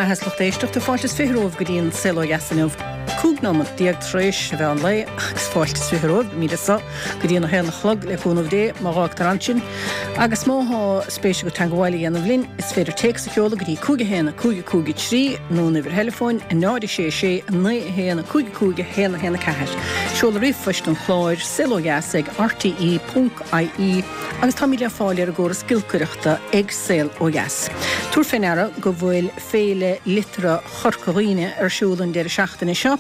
mbeatha is lucht éisteachta, fáilte is 20 romhaibh go dtí an Saol Ó Dheas inniu. 15 nóimeat tar éis a mheán lae agus fáilte is 20 romhaibh, beimid anso go dtí an 1 a chlog le cúnamh Dé, má dh'fhágtar ansin. Agus má thá spéis agat teangabháil a dhéanamh linn, is féidir téacs a sheoladh go dtí 5 1 5 5 3 nó an uimhir theileafóin 0 6 6 9 1 5 5 1 1 4. Seoladh ríomhphoist an chláir, saolodheas ag rte ponc ie agus táimid le fáil ar an gcóras giolcaireachta ag Saol Ó Dheas. Tabhair fé ndeara go bhfuil Féile Liteartha Chorca Dhuibhne ar siúl an deireadh seachtaine seo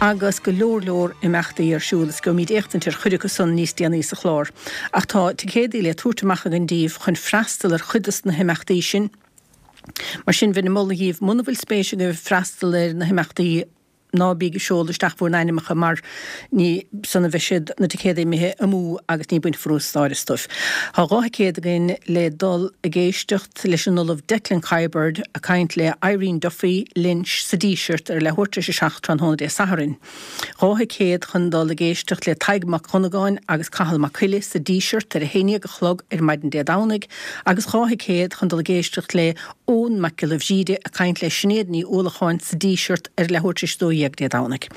agus go leor leor imeachtaí ar siúl is gheobhaimid éachtaint ar chuid acu san níos déanaí sa chlár. Ach tá ticéadaí le tabhairt amach againn daoibh chun freastal ar chuid dos na himeachtaí sin. Mar sin bheinn ag moladh dhíbh muna bhfuil spéis agaibh freastal ar na himeachtaí, Ná bíg ag seoladh isteach bhur n-ainmeacha mar ní san a bheidh siad, na ticéadaí imithe amú agus ní bainfear úsáid astu. Tá 2 thicéad againn le dul ag éisteacht leis an Ollamh Declan Kiberd ag caint le Irene Duffy Lynch sa Díseart ar leathuair tar éis a 7 tráthnóna Dé Sathairn. 2 thicéad chun dul ag éisteacht le Tadhg Mac Dhonnagáin agus Cathal Mac Coille sa Díseart ar a 11 a chlog ar maidin Dé Domhnaigh agus 2 thicéad chun dul ag éisteacht le Eoin Mac Giolla Bhríde ag caint le Sinéad Ní Uallacháin sa Díseart ar leathuair tar éis 12 Dé Domhnaigh.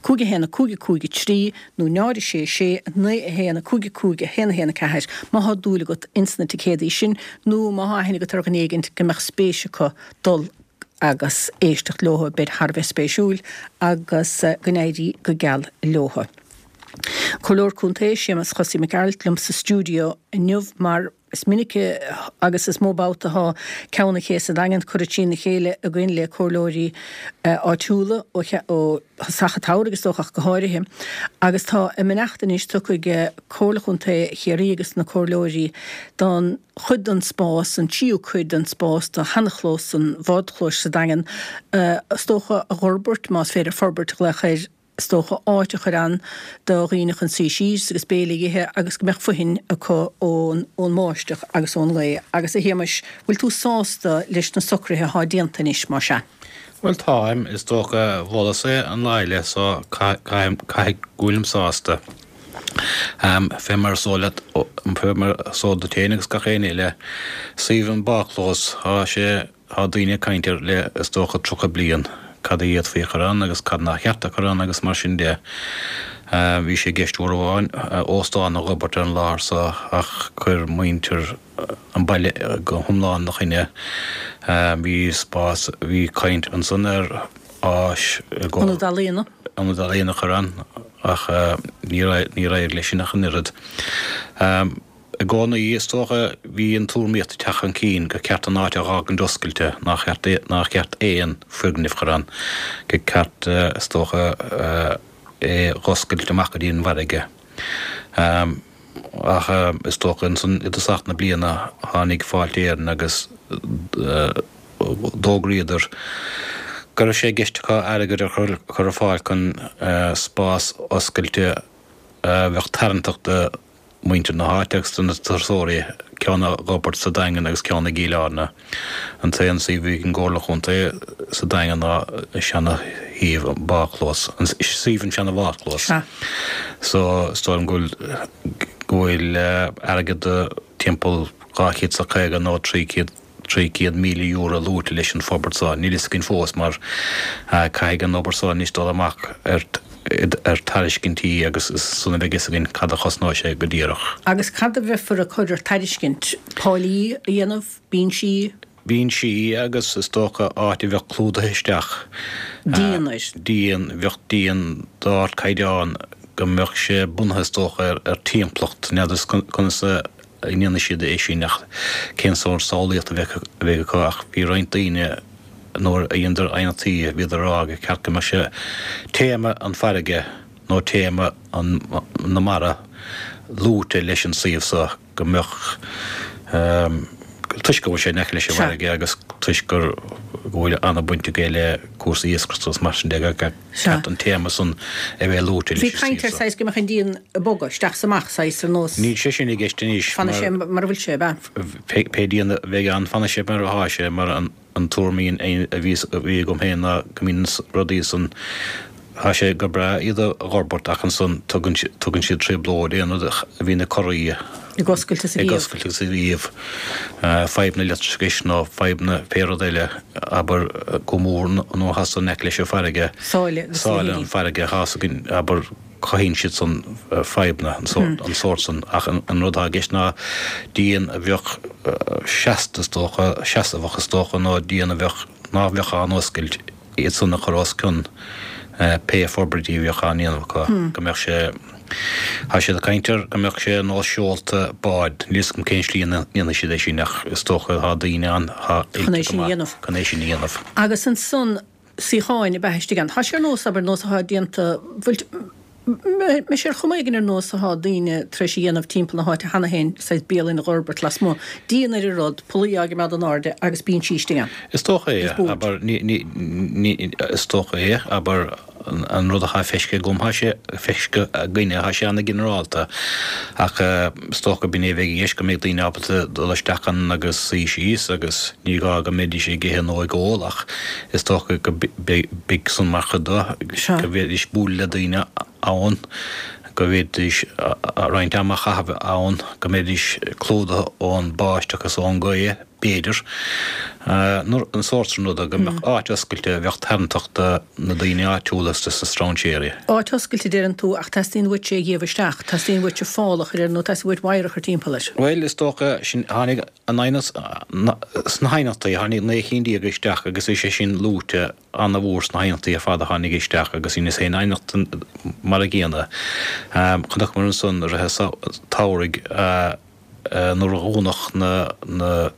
5 1 5 5 3 nó 0 6 6 9 1 5 5 1 1 4 má thá dúil agat ins na ticéadaí sin nó má thá aithne agat ar dhuine éigint go mbeadh spéis acu dul agus éisteacht leotha beid thar a bheith spéisiúil agus go n-éirí go geal leotha. Comhairleoir Contae Séamus Chosaí Mac Gearailt liom sa stiúideo inniu mar Is minic agus is mó babhta atá Ceann an Ché sa Daingean curtha trína chéile againn le comhairleoirí áitiúla ó thosach an tsamhraidh is dócha ach go háirithe. Agus tá a mbeannacht anois tugtha ag Comhairle Chontae Chiarraí agus na comhairleoirí don chuid den spás, an tríú cuid den spás de sheanchlós an bhádchlóis sa Daingean, is dócha a dh'fhorbairt, más féidir forbairt a ghlaoch air. is dócha, áit a chur ann do dhaoine chun suí síos agus béile a dh'ithe agus go mbeadh fothain acu ón mbáisteach agus ón ngaoth. Agus, a Shéamais, bhfuil tú sásta leis na socruithe athá déanta anois, más ea? Bhuel, táim. Is dócha, mholas-sa é an lá eile so caithfidh go bhfuilim sásta. Fé mar is eol leat, fé mar is eol duit féin agus gach éinne eile, suíomh an bádchlós, tá sé, Tá daoine ag caint air le, is dócha, 30 bliain, cad a d'fhéadfaí a chur ann agus cad nár cheart a chur ann agus mar sin de. Bhí sé i gceist uair amháin óstán a dh'fhorbairt ar an láthair so ach chuir muintir an bhaile go hiomlán ina choinne. Bhí spás, bhí caint ansan ar áis i gcomhair. Ionad ealaíona. Ionad ealaíona a chur ann ach níor éirigh leis sin ach an oiread. I gcónaí, is dócha, bhí an tuairimíocht ag teacht chun cinn gur ceart an áit a dh'fhágaint oscailte, nár cheart, nár cheart aon foirgneamh chur ann, gur ceart, is dócha, é dh'oscailt amach go dtí an bhfarraige. Ach is dócha ansan i dtosach na bliana tháinig Fáilte Éireann agus d'fhógraíodar go raibh sé i gceist acu airgead a chur ar fáil chun spás oscailte a bheadh tarraingteach do muintir na háite agus do na turasóirí, ceann á dh'fhorbairt sa Daingean agus ceann i gCill Airne. An t-aon suíomh a bhí ag an gComhairle Chontae sa Daingean ná an seana-shuíomh, an bádchlós, an suíomh an seana-bhádchlós. So, is dóigh liom go bhfuil, go bhfuil airgead timpeall 250 nó 300, €300,000 luaite leis an forbairt seo. Níl fhios againn fós mar caithfidh an obair seo anois dul amach ar ar tairiscintí agus is ansan a bheidh fhios againn cad a chosnóidh sé go díreach. Agus cad a bheifear ag cur ar tairiscint? Táillí a dhéanamh? Binsí? Binsí agus is dócha áit a bheadh clúdaithe isteach. Díon air. Díon, bheadh díon d'ardchaighdeán go mbeadh sé bunaithe is dócha ar timpeallacht, n'fheadar conas a a ndéanfaidh siad é sin ach cén sórt samhlaíocht a bheidh acu ach bhí roinnt daoine nuair a dheineadar aighneachtaí bhíodar ag rá gur ceart go mbeadh sé téama an farraige nó téama an na mara luaite leis an suíomh so go mbeadh toisc go bhfuil sé in aice leis an bhfarraige agus toisc gur go bhfuil an-bhaint aige le cúrsaí iascaireachta agus mar sin de gur ceart an téama san a bheith luaite leis Bhí caint ar saghas go mbeadh an díon ag bogadh isteach is amach, saghas ar nós. Níl sé sin i gceist anois mar. Fanfaidh sé mar a bhfuil sé, ab ea? Pé díon a bheidh ann, fanfaidh sé mar atá sé, mar an tuairim a bhí agam féin ná go mbíonn na rudaí san. Tá sé go breá iad a dh'fhorbairt ach ansan tugann tugann siad trioblóid, aon rud a bhíonn ag corraí, Ag oscailt is ag ag oscailt agus ag iamh, fadhbanna leictreachais nó fadhbanna pé rud eile, abair, go mór nuair atá san in aice leis an bhfarraige, Sáile agus a sáile an farraige, tá 's againn, abair, cothaíonn siad san fadhbanna, an sórt, an sórt san ach an rud atá i gceist ná díon a bheadh seasta is dócha, seasamhach is dócha nó díon a bheadh, ná bheadh á n-oscailt. iad san a chur os cionn pé forbairtí a bheadh á ndéanamh acu, go mbeadh sé, tá siad ag caint ar go mbeadh sé ar nós seolta báid, níl 'fhios agam cén slí a ndéanfaidh siad é sin ach is dócha tá daoine ann atá oilte go maith chun é sin a dhéanamh. Agus ansan suíocháin a bheith istigh ann. Tá sé ar nós, abair, nós atá déanta, bhfuil, mbeidh sé ar chuma éigin ar nós atá daoine tar éis a dhéanamh timpeall na háite cheana féin, saghas bialann a dh'fhorbairt lasmuigh, díon ar an rud, pollaí á gcimeád in airde agus binsí istigh ann. Is dócha é, abair, ní, ní, ní, is dócha é, abair, an rud atá feiscithe agam, tá sé feiscithe againne, tá sé ana-ghinearálta ach is dócha b'in é a bheidh i gceist, go mbeidh daoine ábalta dul isteach ann agus suí síos agus ní gá go mbeidís ag ithe nó ag ól ach Is dócha go mbeidh san mar chuid de, go bhféadfaidís bualadh le daoine ann, go bhféadfaidís roinnt ama a chaitheamh ann, go mbeidís clúdaithe ón báisteach is ón ngaoth, b'fhéidir. An sórt sin ruda, go mbeadh áit oscailte a bheadh tarraingteach do na daoine áitiúla is dos na strainséirí. Áit oscailte, deireann tú, ach teastaíonn uait é a dhíobh isteach, teastaíonn uait fál a chur air nó teastaíonn uait wire a chur timpeall air. Bhuel, is dócha, sin, tháinig An aighneas sna haighneachtaí, tháinig 19 cinn isteach agus bhí sé sin luaite ana-mhór sna haighneachtaí ar fad a tháinig isteach agus dheineas féin aighneacht mar an gcéanna. Chonaiceamar ansan i rith an tsamhraidh nuair a dhúnadh na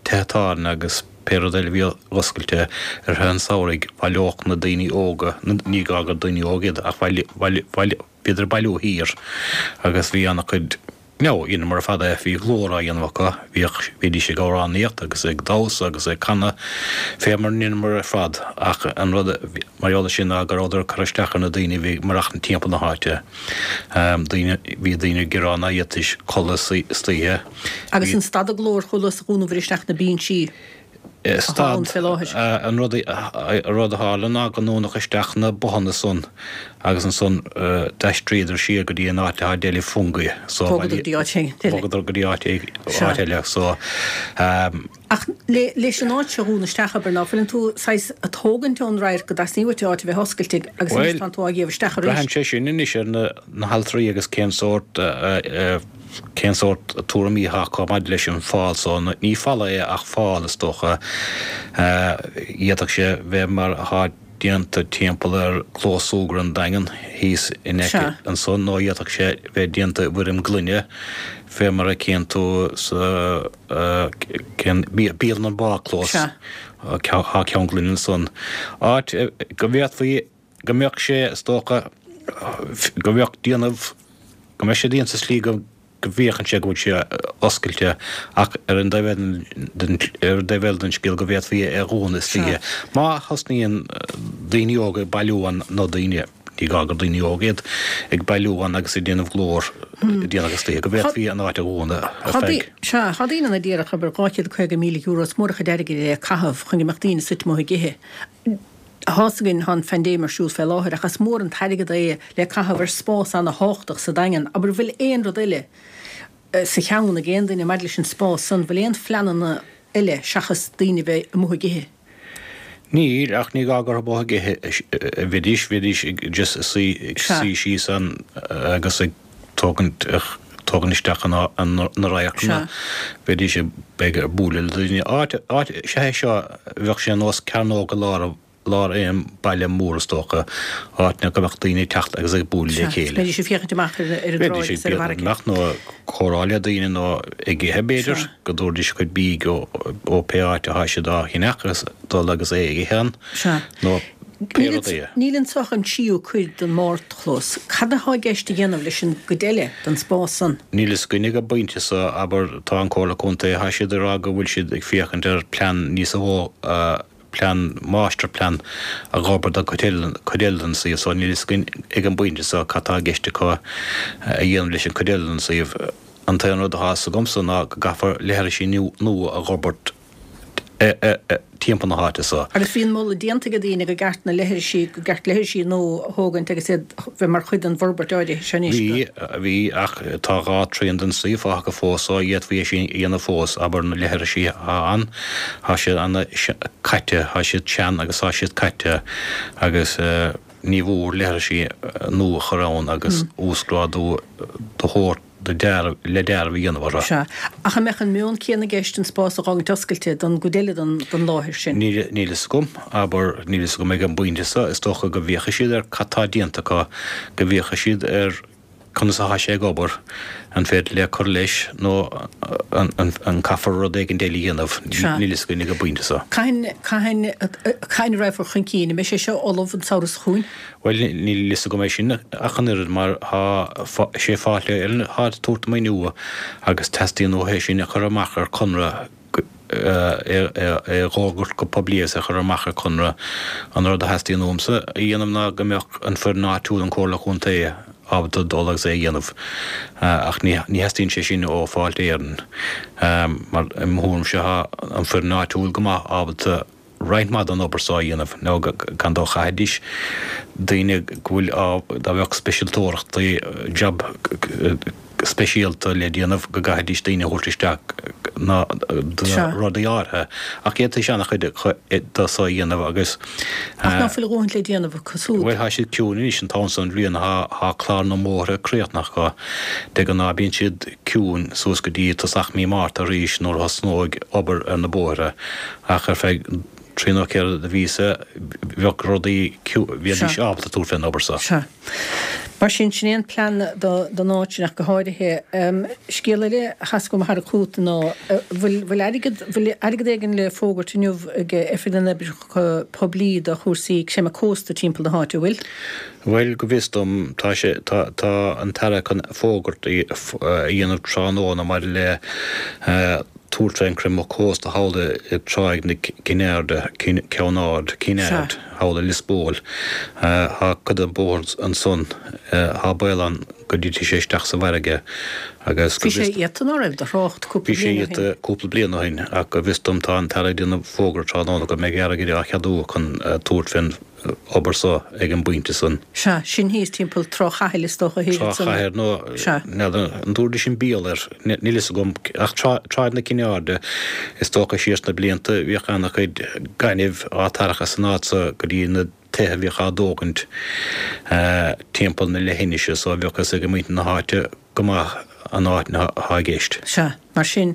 tithe tábhairne agus pé rud eile a bhí oscailte i rith an tsamhraidh, bhaileodh na daoine óga, ní gá gur daoine óga iad ach bhíodar ag bailiú thiar agus bhí ana-chuid No, dheineamar ar fad é, bhí glór á dhéanamh acu, bhíodh, bhídís ag amhránaíocht agus ag damhsa agus ag canadh, fé mar a ndeineamar ar fad, ach an rud mar gheall air sin ná go rabhadar ag cur isteach ar na daoine a bhí ag maireachtaint timpeall na háite. Daoine, bhí daoine ag gearán ná fhéadfaidís codladh istoíche. Agus an stad an glór chomh luath is a dhúnadar isteach na binsí? atá ann fé láthair. An rud a tharla ná go ndúnadh isteach na bothanna san agus ansan d'aistríodar siar go dtí an áit atá Deli Fungie so Bhogadar go dtí áit eile. Bhogadar go dtí áit eile so. Ach leis an áit seo a dhúnadh isteach, abair, ná fuileann tú saghas a' tógaint ón radharc go dteastaíonn uait áit a bheith oscailte agus anois tánn tú á ghéabh isteach arís. Braitheann sé sin anois ar na haltraí agus cén sórt Cén sórt tuairimí atá acu maidir leis an fál so? Ní falla é ach fál, is dócha. D'fhéadfadh sé bheith mar atá déanta timpeall ar Clós Súgartha an Daingin thíos in aice ansan nó d'fhéadfadh sé bheith déanta i bhfoirm gloine fé mar a chíonn tú sa cén bialann an Bádchlós. Tá ceann gloine ansan. Áit go bhféadfaí go mbeadh sé, is dócha, go mbeadh déanamh, go mbeadh sé déanta sa slí go bhféachann sé go bhfuil sé oscailte ach ar an dtaobh ar an dtaobh eile den scéal go bhféadfaí é a dhúnadh istoíche. Má thosnaíonn daoine óga ag bailiú ann, nó daoine, ní gá gur daoine óga iad, ag bailiú ann agus ag déanamh glór déanach istoíche, go bhféadfaí an áit a dhúnadh ar feadh. Sea, tá daoine ann a déarfadh, abair, €250,000, is mór an chuid airgid é a caitheamh chun go mbeadh daoine suite amuigh ag ithe. Tá's againn, tá an phaindéim ar siúl fé láthair, ach is mór an t-airgead é le caitheamh ar spás ana-thábhachtach sa Daingean. Abair, bhfuil aon rud eile sa cheann ag aon duine maidir leis an spás san? Bhfuil aon phleananna eile seachas daoine a bheith amuigh ag ithe? Níl, ach ní gá gur amuigh ag ithe a bheidís, bheidís ag just suí, ag suí síos ann agus ag tógaint, tógaint isteach na radharcanna. Bheidís ag, b'fhéidir, ag bualadh le daoine. Áit, áit, sea é seo, bheadh sé ar nós cearnóg i lár, lár aon baile mór is dócha, áit go mbeadh daoine ag teacht agus ag bualadh le chéile. Bheidís ag féachaint amach ar an dtráigh agus ar an bhfarraige. Bheidís ag amach nó ag comhrá le daoine nó ag ithe b'fhéidir, go dtabharfaidís a gcuid bídh ó pé áit atá siad á cheannach agus dul agus é a ithe ann nó pé rud é. Níl anso ach an tríú cuid den mbardchlós. Cad atá i gceist a dhéanamh leis an gcuid eile den spás san? Níl fhios againn ag an bpointe so, abair, tá an Comhairle Contae, tá siad ag rá go bhfuil siad ag féachaint ar plean níos mó, plean, máistirphlean a dh'fhorbairt don chuid eile, cuid eile den suíomh so níl fhios againn ag an bpointe so cad tá i gceist acu a dhéanamh leis an cuid eile den suíomh. An t-aon rud atá fhios agamsa ná go gcaithfear leithrisí nua a dh'fhorbairt. Timpeall na háite so. Agus bhí an moladh déanta ag daoine go gceart na leithrisí, go gceart leithrisí nua a thógaint agus iad bheith mar chuid den bhforbairt áirithe seo anois. Bhí, bhí, ach tá dhá trian den suíomh fágtha fós so d'fhéadfaí é sin a dhéanamh fós, abair na leithrisí atá ann, tá siad ana caite, tá siad sean agus tá siad caite agus ní mhór leithrisí nua a chur ann agus uasghrádú do thabhairt do dearadh, le dearadh a dhéanamh orthu. Sea. Ach an mbeadh an meon céanna i gceist an spás a dh'fhágaint oscailte don gcuid eile den, den láthair sin? Níl, níl fhios agam. Abair, níl fhios agam ag an bpointe seo. Is dócha go bhféachfaidh siad ar cad tá déanta acu, go bhféachfaidh siad ar conas atá sé ag obair, an féidir le cur leis nó an, an, an caithfear rud éigin eile a dhéanamh. Sea. Níl fhios againn ag an bpointe seo. Cathain, cathain, cathain a raghfar chun cinn? An mbeidh sé seo ullamh an samhradh seo chugainn? Bhuel, níl fhios agam é sin ach an oiread mar tá sé Fáilte Éireann atá ag tabhairt an maoiniú agus teastaíonn uathu é sin a chur amach ar conradh, é a dh'fhógairt go poiblí agus é a chur amach ar conradh. An rud a theastaíonn uaimse a dhéanamh ná go mbeadh an foireann áitiúil, an Comhairle Chontae, ábalta dul agus é a dhéanamh ach ní theastaíonn sé sin ó Fáilte Éireann mar i mo thuairimse tá an foireann áitiúil go maith ábalta roinnt mhaith den obair so a dhéanamh nó gan dabht chaithfidís daoine go bhfuil á dá mbeadh speisialtóireachtaí job speisialta le déanamh go gcaithfidís daoine a thabhairt isteach ná do rudaí áirithe ach d'fhéadfaidís an-chuid de so a dhéanamh agus Ach ná fuil a dhóthaint le déanamh acu súd? Bhuel tá siad ciúin anois an t-am so den bhliain tá clár na mbóithre críochnaithe acu de ghnáth bíonn siad ciúin suas go dtí tosach mí Márta arís nuair a thosnóidh obair ar na bóithre Ach ar feadh trí nó ceithre de mhíosa bheadh rudaí, bheidís ábalta tabhairt fén obair so. Sea. Mar sin, sin é an plean don áit sin ach go háirithe. Scéal eile a theastaigh uaim a tharrac chugat ná, bhfuil, bhfuil airgead, bhfuil airgead éigin le fógairt inniu ag Oifig na nOibreacha Poiblí do chúrsaí creimeadh cósta timpeall na háite, an bhfuil? Bhuel, go bhfios dom, tá sé, tá, tá an tAire chun fógairt a dhéanamh tráthnóna maidir le tabhairt fén creimeadh cósta thall i dTráigh na Cinn Airde, Ceann Ard, Cinn Aird, thall i Lios Póil. Tá cuid den bóthar ansan, tá baol ann go dtitfidh sé isteach sa bhfarraige agus go Bhí sé iata ná raibh de thrácht cúpla Bhí sé bliain ó shin. iata cúpla bliain ó shin ach go bhfios dom tá an tAire ag déanamh fógra tráthnóna go mbeidh airgead á cheadú chun tabhairt fén obair so ag an bpointe san. Sea, sin thíos timpeall Trá Chathail is dócha thiar Trá ansan. Chathail nó Sea. n'fheadar an dtabharfaidís an Béal air, níl fhios agam, ach Trá, Tráigh na Cinne Airde, is dócha siar sna blianta bhíodh ana-chuid gainimh á tarrac as an áit so go dtí na tithe a bhíodh á dtógaint timpeall na leithinise so bheadh fhios ag muintir na háite go maith an áit atá i gceist. Sea, mar sin,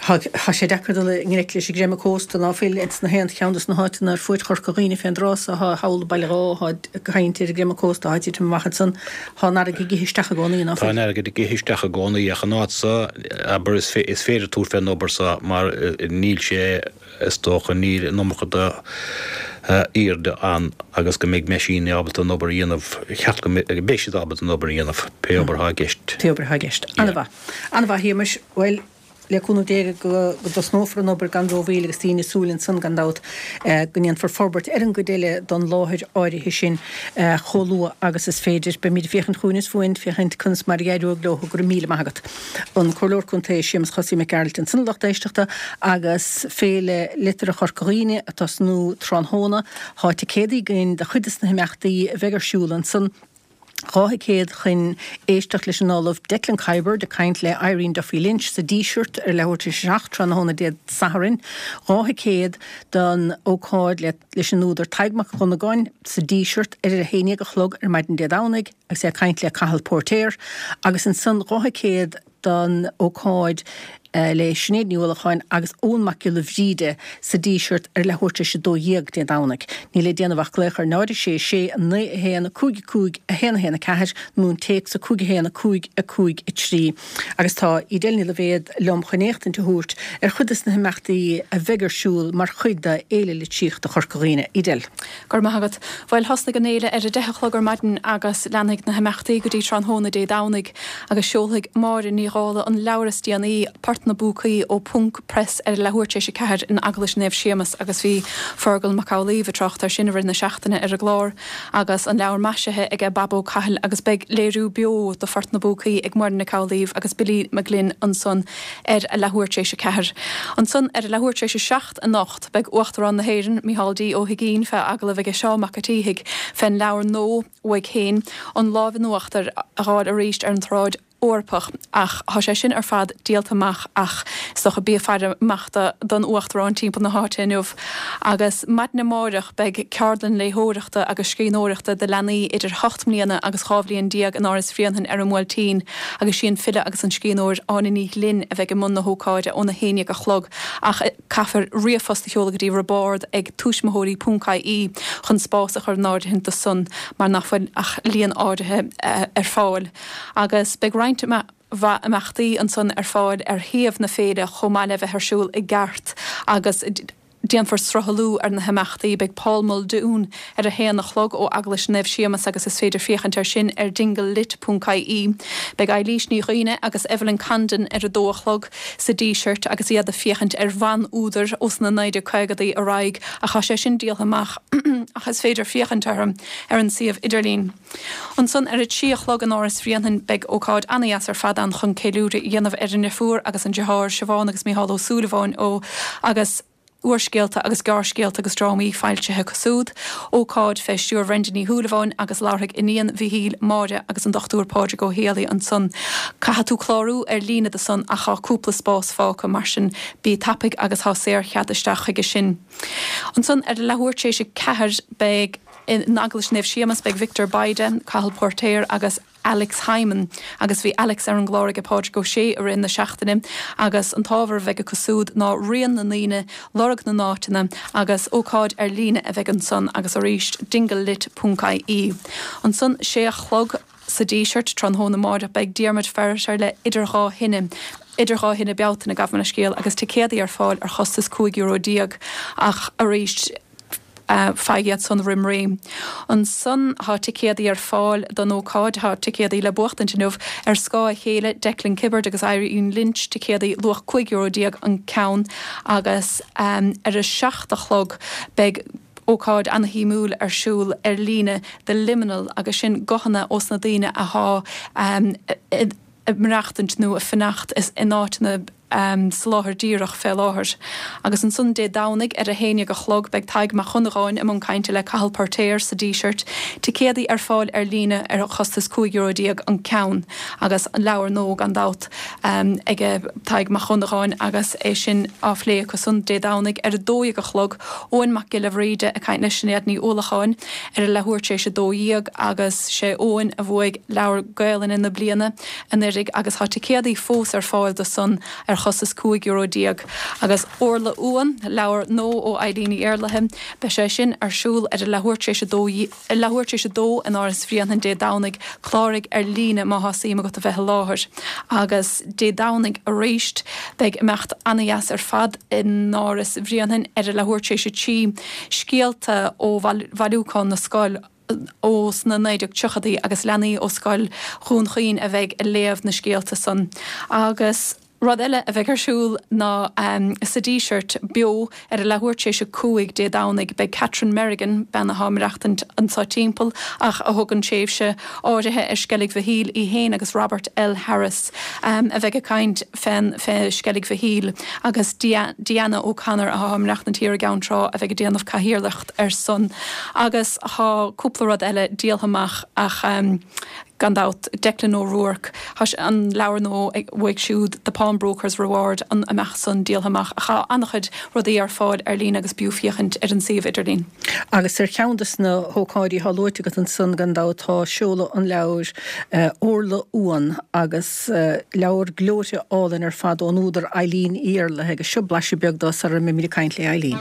tá sé deacair dul i ngleic leis an gcreimeadh cósta, ná fuil ins na haon cheann dos na háiteanna ar fuaid Chorca Dhuibhne fén dtráth so, thá thall i Baile Dháith, thá caint ar an gcreimeadh cósta, thá titim amach ansan, thá an fharraige ag ithe isteach i gcónaí, ná fuil? Tá an fharraige ag ithe isteach i gcónaí ach an áit so, abair, is féidir tabhairt fén obair so mar níl sé, Is dócha níl an iomarca d'airde ann agus go mbeidh meaisíní ábalta an obair a dhéanamh, cheart go mbeidh siad ábalta an obair a dhéanamh, pé obair atá i gceist. Pé obair atá i gceist. An-mhaith. An-mhaith, a Shéamais. Bhuel, le cúnamh Dé go dtosnófar an obair gan rómhoill agus daoine ag súil ansan gan dabht go ndéanfar forbairt ar an gcuid eile don láthair áirithe sin chomh luath agus is féidir. Beimid ag féachaint chugainn is fúinn, féachaint conas mar a éireoidh leo. Go raibh míle maith agat. An Comhairleoir Contae Séamus Chosaí Mac Gearailt ansan a lucht éisteachta agus Féile Liteartha Chorca Dhuibhne ag tosnú tráthnóna. Thá ticéadaí againn do chuid des na himeachtaí a bheidh ar siúl ansan. 2 thicéad chun éisteacht leis an Ollamh Declan Kiberd ag caint le Irene Duffy Lynch sa Díseart ar leathuair tar éis a 7 tráthnóna Dé Sathairn. 2 thicéad don ócáid leis an údar Tadhg Mac Dhonnagáin sa Díseart ar a 11 a chlog ar maidin Dé Domhnaigh. agus é ag caint le Cathal Póirtéir, agus ansan 2 thicéad don ócáid le Sinéad Ní Uallacháin agus Eoghan Mac Giolla Bhríde sa Díseart ar leathuair tar éis 12 Dé Domhnaigh. Níl le déanamh ach glaoch ar 0 6 6 9 1 5 5 1 1 4 nó an téacs 5 1 5 5 3. Agus tá Edel Ní Loibhéad liom chun éachtaint a thabhairt ar chuid des na himeachtaí a bheidh ar siúl mar chuid d'Fhéile Litríochta Chorca Dhuibhne. Edel. Go raibh maith agat. Bhuel, thosnaigh an fhéile ar a deich a chlog ar maidin agus leanfaidh na himeachtaí go dtí tráthnóna Dé Domhnaigh agus seolfaidh Máire Ní Dhálaigh an leabhar is déanaí, Port. Port na bPúcaí ó Ponc Press ar a leathuair tar éis a 4 in Eaglais Naomh Séamus agus bhí Fergal Mac Amhlaoibh ag trácht air sin i rith na seachtaine ar an gclár agus an leabhar maisithe aige Bab Ó Cathail agus beidh léiriú beo de Phort na bPúcaí ag Muireann Nic Amhlaoibh agus Billy Mag Fhloinn ansan ar a leathuair tar éis a 4. Ansan ar a leathuair tar éis a 7 anocht beidh Uachtarán na hÉireann, Micheál D. Ó hUigínn fé agallamh aige Seán Mac a' tSíthigh fén leabhar nua uaidh féin, An Lámh in Uachtar a dh'fháil arís ar an tsráid. Eorpach, ach thá sé sin ar fad díolta amach ach is dócha bí ag faire amach don Uachtarán timpeall na háite inniu. Agus maidin amáireach beidh ceardlann léitheoireachta agus scríbhneoireachta do leanaí idir hocht mbliana agus 12 bhliain in Áras Bhréanainn ar an mBuailtín agus sí an file agus an scríbhneoir Áine Ní Ghlinn a bheidh i mbun na hócáide óna haon dhéag a chlog ach caithfear ríomhphost a sheoladh go dtí roibeard ag tuismitheoirí ponc ie chun spás a chur in áirithint do san mar nach bhfuil ach líon áirithe ar fáil. Agus beidh roinnt mhaith imeachtaí ansan ar fáil ar shuíomh na féile chomh maith le bheith ar siúl i gceart agus déanfar sruthlú ar na himeachtaí. Beidh Paul Muldoon ar a haon a chlog ó Eaglais Naomh Séamas agus is féidir féachaint air sin ar dinglelit ponc ie. Beidh Eilís Ní Dhuibhne agus Evelyn Condon ar a dó a chlog sa Díseart agus iad ag féachaint ar bhan-údair ós na 1950idí ar aghaidh ach tá sé sin díoltha amach ach is féidir féachaint orthu ar an suíomh idirlín. Ansan ar a 3 a chlog in Áras Bhréanainn beidh ócáid ana-dheas ar fad ann chun ceiliúradh a dhéanamh ar an ndeirfiúr agus an deartháir, Siobhán agus Micheál Ó Súilleabháin ó agus úrscéalta agus gearrscéalta agus drámaí foilsithe acu siúd. Ócáid fé stiúir Bhrenda Ní Shúilleabháin agus labharfaidh iníon Mhichíl, Máire agus an Dr Pádraig Ó Héalaí ansan. Caithfidh tú clárú ar líne do san ach tá cúpla spás fágtha mar sin bí tapaidh agus tá saor-chead isteach chuige sin. Ansan ar a leathuair tar éis a 4 beidh. In Eaglais Naomh Séamas beidh Victor Bayda, Cathal Póirtéir agus Alex Hyman agus bhí Alex ar an gclár aige Pádraig Ó Sé i rith na seachtaine agus an t-ábhar a bheidh acu siúd ná rian na ndaoine, lorg na n-áiteanna agus ócáid ar líne a bheidh ansan agus arís dinglelit ponc ie. Ansan sé a chlog sa Díseart tráthnóna amáireach beidh Diarmuid Ferriter le Idir Dhá Thine, Idir Dhá Thine Bealtaine, gabh mo leithscéal, agus ticéadaí ar fáil ar chostas €15 ach arís faigh iad san roim ré. Ansan tá ticéadaí ar fáil don ócáid, tá ticéadaí le buachtaint inniu, Ar Scáth a Chéile, Declan Kiberd agus Irene Lynch, ticéadaí luach €15 an ceann agus ar a seacht a chlog beidh ócáid ana-shuimiúil ar siúl ar líne, The Liminal agus sin guthanna ós na daoine athá ag maireachtaint nó ag fanacht in áiteanna sa láthair díreach fé láthair. Agus ansan Dé Domhnaigh ar a haon dhéag a chlog beidh Tadhg Mac Dhonnagáin i mbun cainte le Cathal Poirtéir sa Díseart. Ticéadaí ar fáil ar líne ar chostas €15 an ceann agus leabhar nua gan dabht aige Tadhg Mac Dhonnagáin agus é sin á phlé acu san Dé Domhnaigh ar a dó dhéag a chlog. Eoin Mac Giolla Bhríde ag caint le Sinéad Ní Uallacháin ar a leathuair tar éis a dó dhéag agus sé Eoin a bhuaigh Leabhar Gaelainne na Bliana anuiridh agus tá ticéadaí fós ar fáil do san ar chostas €15 agus Orla Uan, leabhar nua ó Eileen Ní Éarlaithe, beidh sé sin ar siúl ar a leathuair tar éis a dó leathuair tar éis a dó in Áras Bhréanainn Dé Domhnaigh, cláraigh ar líne má thá suim agat a bheith i láthair. Agus Dé Domhnaigh arís beidh imeacht ana-dheas ar fad in Áras Bhréanainn ar a leathuair tar éis a 3, scéalta ó bhailiúchán na scol ó sna 1930idí agus leanaí ó Scoil Dhún Chaoin a bheidh ag léamh na scéalta san. Agus rud eile a bheidh ar siúl ná sa Díseart beo ar a leathuair tar éis a 5 Dé Domhnaigh beidh Catherine Merrigan, bean athá ag maireachtaint anso timpeall ach a thugann tréimhse áirithe ar Sceilg Mhichíl, í féin agus Robert L. Harris a bheidh ag caint fén fé Sceilg Mhichíl agus Deanna O'Connor athá ag maireachtaint thiar i gCeann Trá a bheidh ag déanamh cathaoirleacht air san agus thá cúpla rud eile díoltha amach ach gan dabht Declan O'Rourke, thá an leabhar nua uaidh siúd The Pawnbroker's Reward an imeacht san díoltha amach ach thá an-chuid rudaí ar fáil ar líne agus b'fhiú féachaint ar an suíomh idirlín. Agus ar cheann de na hócáidí atá luaite agat ansan gan dabht tá seoladh an leabhair Orla Uan agus leabhar gleoite álainn ar fad ón údar Eileen Uí Éarlaithe agus seo blaiseadh beag dó sara mbeimid ag caint le Eileen.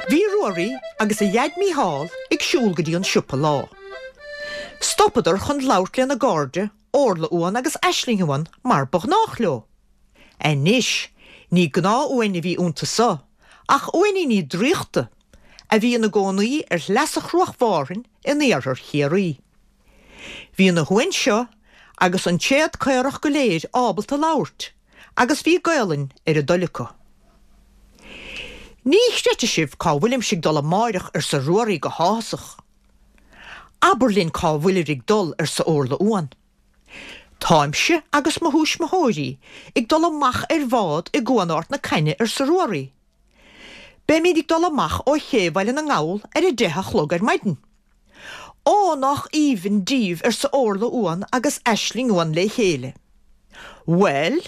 Bhí Ruairí agus a dhaid Mícheál ag siúl go dtí an siopa lá. Stopadar chun labhairt lena gcairde. Órla Uan agus Aisling Uan mar ba ghnách leo. Anois, ní gnáth-uain a bhí iontu so, ach uainíní draíochta, a bhí ina gcónaí ar shleasa Chruach Mhárthain in iarthar Chiarraí. Bhí na huain seo agus an tréad caorach go léir ábalta labhairt agus bhí Gaolainn ar a dtoil acu. Ní chreidfidh sibh cá bhfuilimse ag dul amáireach arsa Ruairí go háthasach. Abair linn cá bhfuilir ag dul arsa Órla Uan. Táimse agus mo thuismitheoirí ag dul amach ar bhád i gCuan Ard na Cainne arsa Ruairí. Beimid ag dul amach ó ché Bhaile na nGall ar a deich a chlog ar maidin. Ó, nách aoibhinn díbh arsa Órla Uan agus Aisling Uan lé chéile. Bhuel,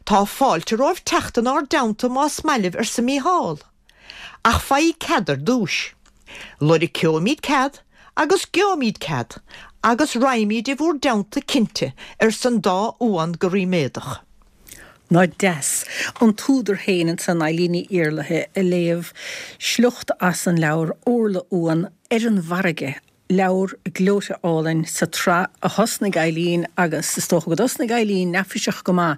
tá fáilte romhaibh teacht inár dteannta más maith libh arsa Mícheál. Ach faighidh cead ar dtúis. Loirceoimid cead agus geobhaimid cead agus raghaimid i bhúr dteannta cinnte arsa an dá uan go ríméadach. Nach deas an t-údar féin ansan, Eilín Ní Iarlaithe, ag léamh sliocht as an leabhar Órla Uan ar an bhFarraige, leabhar gleoite álainn sa tsraith a thosnaigh Eileen agus is dócha go dtosnaigh Eileen neafaiseach go maith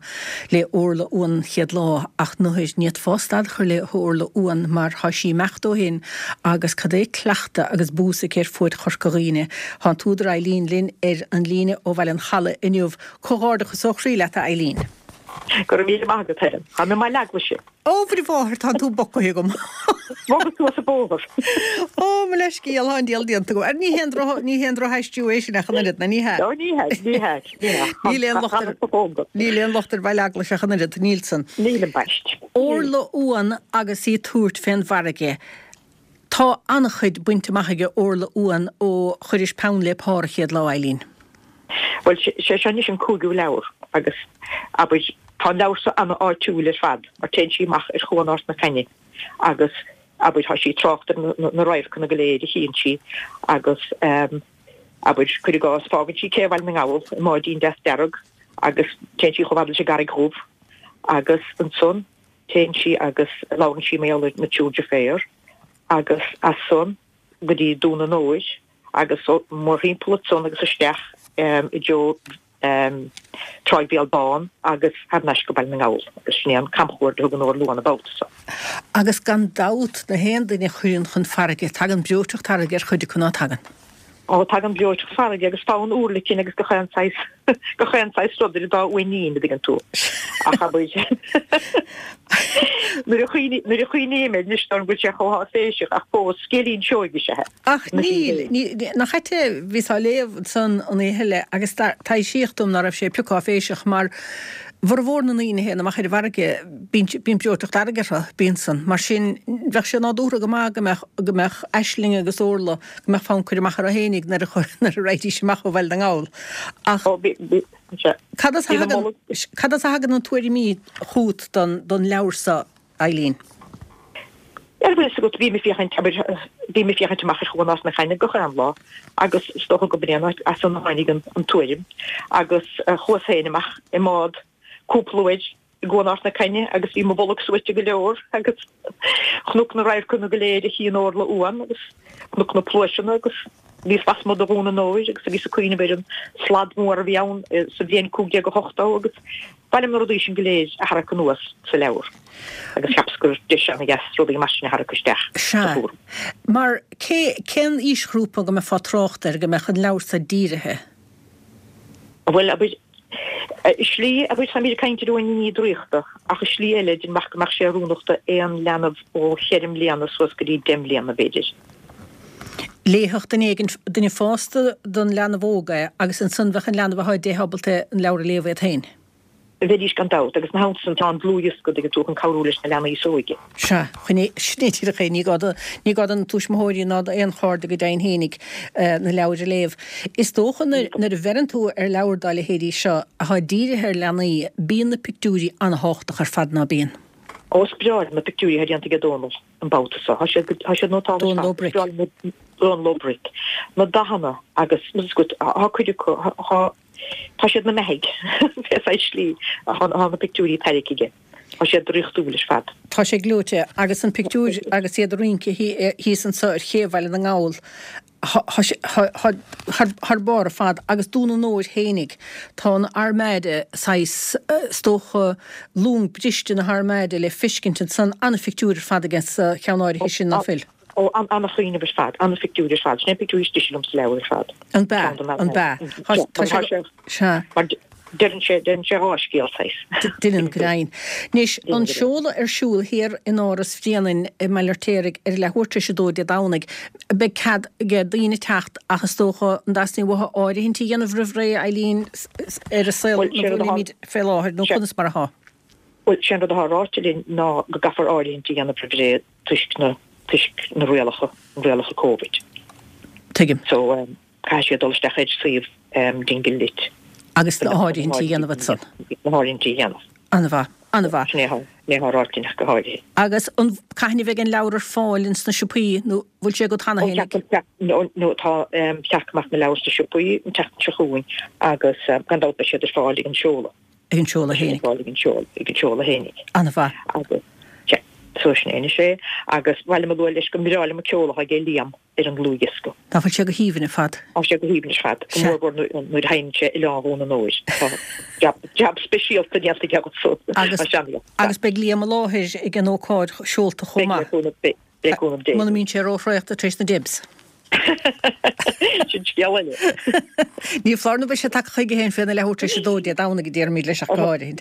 le Órla Uan an chéad lá ach nuair ní fhéadfá stad a chur le hÓrla Uan mar thá sí imeachta ó shin agus cad é cleachtadh agus bua s'aici ar fuaid Chorca Dhuibhne. Thá an t-údar Eileen linn ar an líne ó Bhaile an Chalaidh inniu. Comhghairdeachas ó chroí leat a Eileen. Go raibh míle maith agat, Helen. Táim i mBaile Eaglais. Ó, Mhuire Mháthair, tánn tú bogtha agam. Bhogas suas an bóthar. Ó, mo leithscéal, tá an diabhal déanta agam. Ar ní haon droch, ní haon drochaistriú é sin ach an oiread, ná ní hea? Ó, ní hea, ní hea, ní hea. Níl aon locht ar, níl aon locht ar Bhaile Eaglais ach an oiread, níl san. Níl ambaist. Órla Uan agus í ag tabhairt fén bhfarraige. Tá an-chuid bainte amach aige Órla Uan ó chuiris peann le pár an chéad lá, Eileen. Bhuel, sé seo anois an cúigiú leabhar agus, abair, tá an leabhar seo ana-áitiúil ar fad mar téann sí amach ar Chuan Ard na Cainne agus, abair, tá sí ag trácht ar na radharcanna go léir a chíonn sí agus, abair, cuir i gcás, fágann sí cé Bhaile na nGall i mbáidín deas dearg agus téann sí chomh fada leis an gCarraig Dhubh agus ansan téann sí agus labhrann sí mar gheall ar na triúr deirféar agus as san go dtí Dún an Óir agus mórthimpeall ansan agus isteach i dtreo Tráigh Bhéal Bán agus thar n-ais go Baile na nGall agus sin é an camchuaird a thugann Órla Uan an babhta so. Agus gan dabht, na haon duine a chuireann chun farraige, tagann breoiteacht fharraige ar chuid acu, ná tagann? Ó, tagann breoiteacht farraige agus fonn urlacain agus gach aon saghas, gach aon saghas rud ar an dá uainín, a dtuigeann tú. Ach abair, nuair a chuimhní, nuair a chuimhním air anois, dóigh go bhfuil sé chomh háiféiseach ach fós, scéilín seoigh is ea é. Ach níl, ní, nach ait é, bhíos á léamh ansan an oíche eile agus taibhsíodh dom ná raibh sé pioc áiféiseach mar bhformhór na ndaoine a théann amach ar an bhfarraige, bíonn, bíonn breoiteacht fharraige orthu, bíonn san. Mar sin, bheadh sé nádúrtha go maith go mbeadh, go mbeadh Aisling agus Órla, go mbeadh fonn cur amach orthu fhéinig nuair a nuair a raghaidís amach ó Bhaile na nGall. Ach cad as a thagann, cad as a thagann na tuairimí chugat don, don leabhar so, Eileen? Bhuel, bhfuil fhios agat, bím ag féachaint, abair, bím ag féachaint amach ar Chuan Ard na Cainne gach aon lá agus is dócha go b'in é as san a tháinig an, an tuairim agus chuas féin amach i mbád cúpla uair i gCuan Ard na Cainne agus bhí mo bholg suaite go leor agus chonac na radharcanna go léir a chíonn Órla Uan agus chonac na pluaiseanna agus bhíos lasmuigh de Dhún an Óir agus bhíos ag cuimhneamh ar an slad mór a bhí ann sa bhliain 1580 agus ba liom na rudaí sin go léir a tharrac anuas sa leabhar agus cheapas gur deis ana-dheas rudaí mar sin a tharrac isteach sa Sea. Mar cé, cén aoisghrúpa go mbeifeá ag trácht air go mbeadh an leabhar so dírithe? Bhuel, abair, i slí, abair, táimid ag caint ar uainíní draíochta, ach i slí eile, déarfainn go mbeadh sé oiriúnach d'aon leanbh ó cheithre mbliana suas go dtí deich mbliana, b'fhéidir. Léifeadh duine éigin, duine fásta don leanbh óg é, agus ansan bheadh an leanbh athá 10 ábalta an leabhar a léamh iad féin. Bheidís gan dabht, agus ina theannta san tá an dlúthdhiosca, dtuigeann tú, chun cabhrú leis na leanaí is óige. Sea, chun é, sin é díreach é, ní gá do, ní gá do na tuismitheoirí ná d'aon chairde go deimhin fhéinig na leabhair a léamh. Is dócha nuair, nuair a bheireann tú ar leabhar dá leithéidí seo, athá dírithe ar leanaí, bíonn na pictiúirí an-thábhachtach ar fad, ná bíonn? Ó, is breá liom na pictiúirí atá déanta aige Dónal an babhta seo. Tá siad, tá siad nótálta ar fad. Dónal Ó Bric. Is breá liom na, Dónal Ó Bric. Na dathanna agus, tá cuid acu, tá, Tá siad ina mbeathaigh, pé saghas slí atá na pictiúirí tarraingthe aige. Tá siad draíochtúil ar fad. Tá sé gleoite. Agus an pictiúr agus iad ag rince thíos anso ar ché Bhaile na nGall. Tá sé thar barr ar fad agus Dún an Óir fhéinig, tá an Armada saghas, is dócha, long briste na hArmada le feiscint ansan, an-phictiúr ar fad aige sa cheann áirithe sin, ná fuil? Ó, an-chuimhneamh ar fad, an-phictiúr ar fad, sin é an pictiúr is deise liom sa leabhar ar fad. An b'ea? An b'ea? Tá sé, sea. Mar deireann sé, deireann sé dhá scéal saghas. Deireann go deimhin. Anois, an seoladh ar siúl thiar in Áras Bhréanainn i mBaile Fheirtéaraigh ar a leathuair tar éis a dó Dé Domhnaigh. Beidh cead ag daoine teacht ach is dócha an dteastaíonn uathu áirithint a dhéanamh roimh ré, Eileen, ar an saol ina bhfuilimid fé láthair nó conas mar atá? Bhuel, sé an rud atá ráite linn ná go gcaithfear áirithint a dhéanamh roimh ré toisc na, toisc na rialacha, rialacha Covid. Tuigim. So, Caithfidh siad dul isteach ar suíomh Dingle Lit. Agus na háirithintí a dhéanamh ansan. Na háirithintí a dhéanamh. An-mhaith, an-mhaith. Sin é atá ráite linn ach go háirithe. Agus an, cathain a bheidh an leabhar ar fáil ins na siopaí nó bhfuil sé agat cheana fhéinig? Ó, nó tá, cheart go mbeadh na leabhair sna siopaí an tseachtain seo chugainn agus gan dabht beidh siad ar fáil ag an seoladh. Ag an seoladh fhéinig. Ag an seoladh, ag an seoladh fhéinig. An-mhaith. Agus, sea, so sin é anois é. Agus ba mhaith liom a lua leis go mbreá liom an ceol atá ag Liam. ar an dlúthdhiosca. Nach bhfuil sé go haoibhinn ar fad? Tá sé go haoibhinn ar fad, go mór mhór nuair a sheinneann sé Oileán Dhún an Óir. Tá jab, jab speisialta déanta aige ansan. Agus, agus beidh Liam i láthair ag an ócáid seolta chomh maith. Beidh, le cúnamh Dé. Muna mbíonn sé róthraochta tar éis na Debs. Sin scéal eile. Ní foláir nó beidh sé tagtha chuige féin féna leathuair tar éis a dó Dé Domhnaigh, a déarfaimid leis ach go háirithe.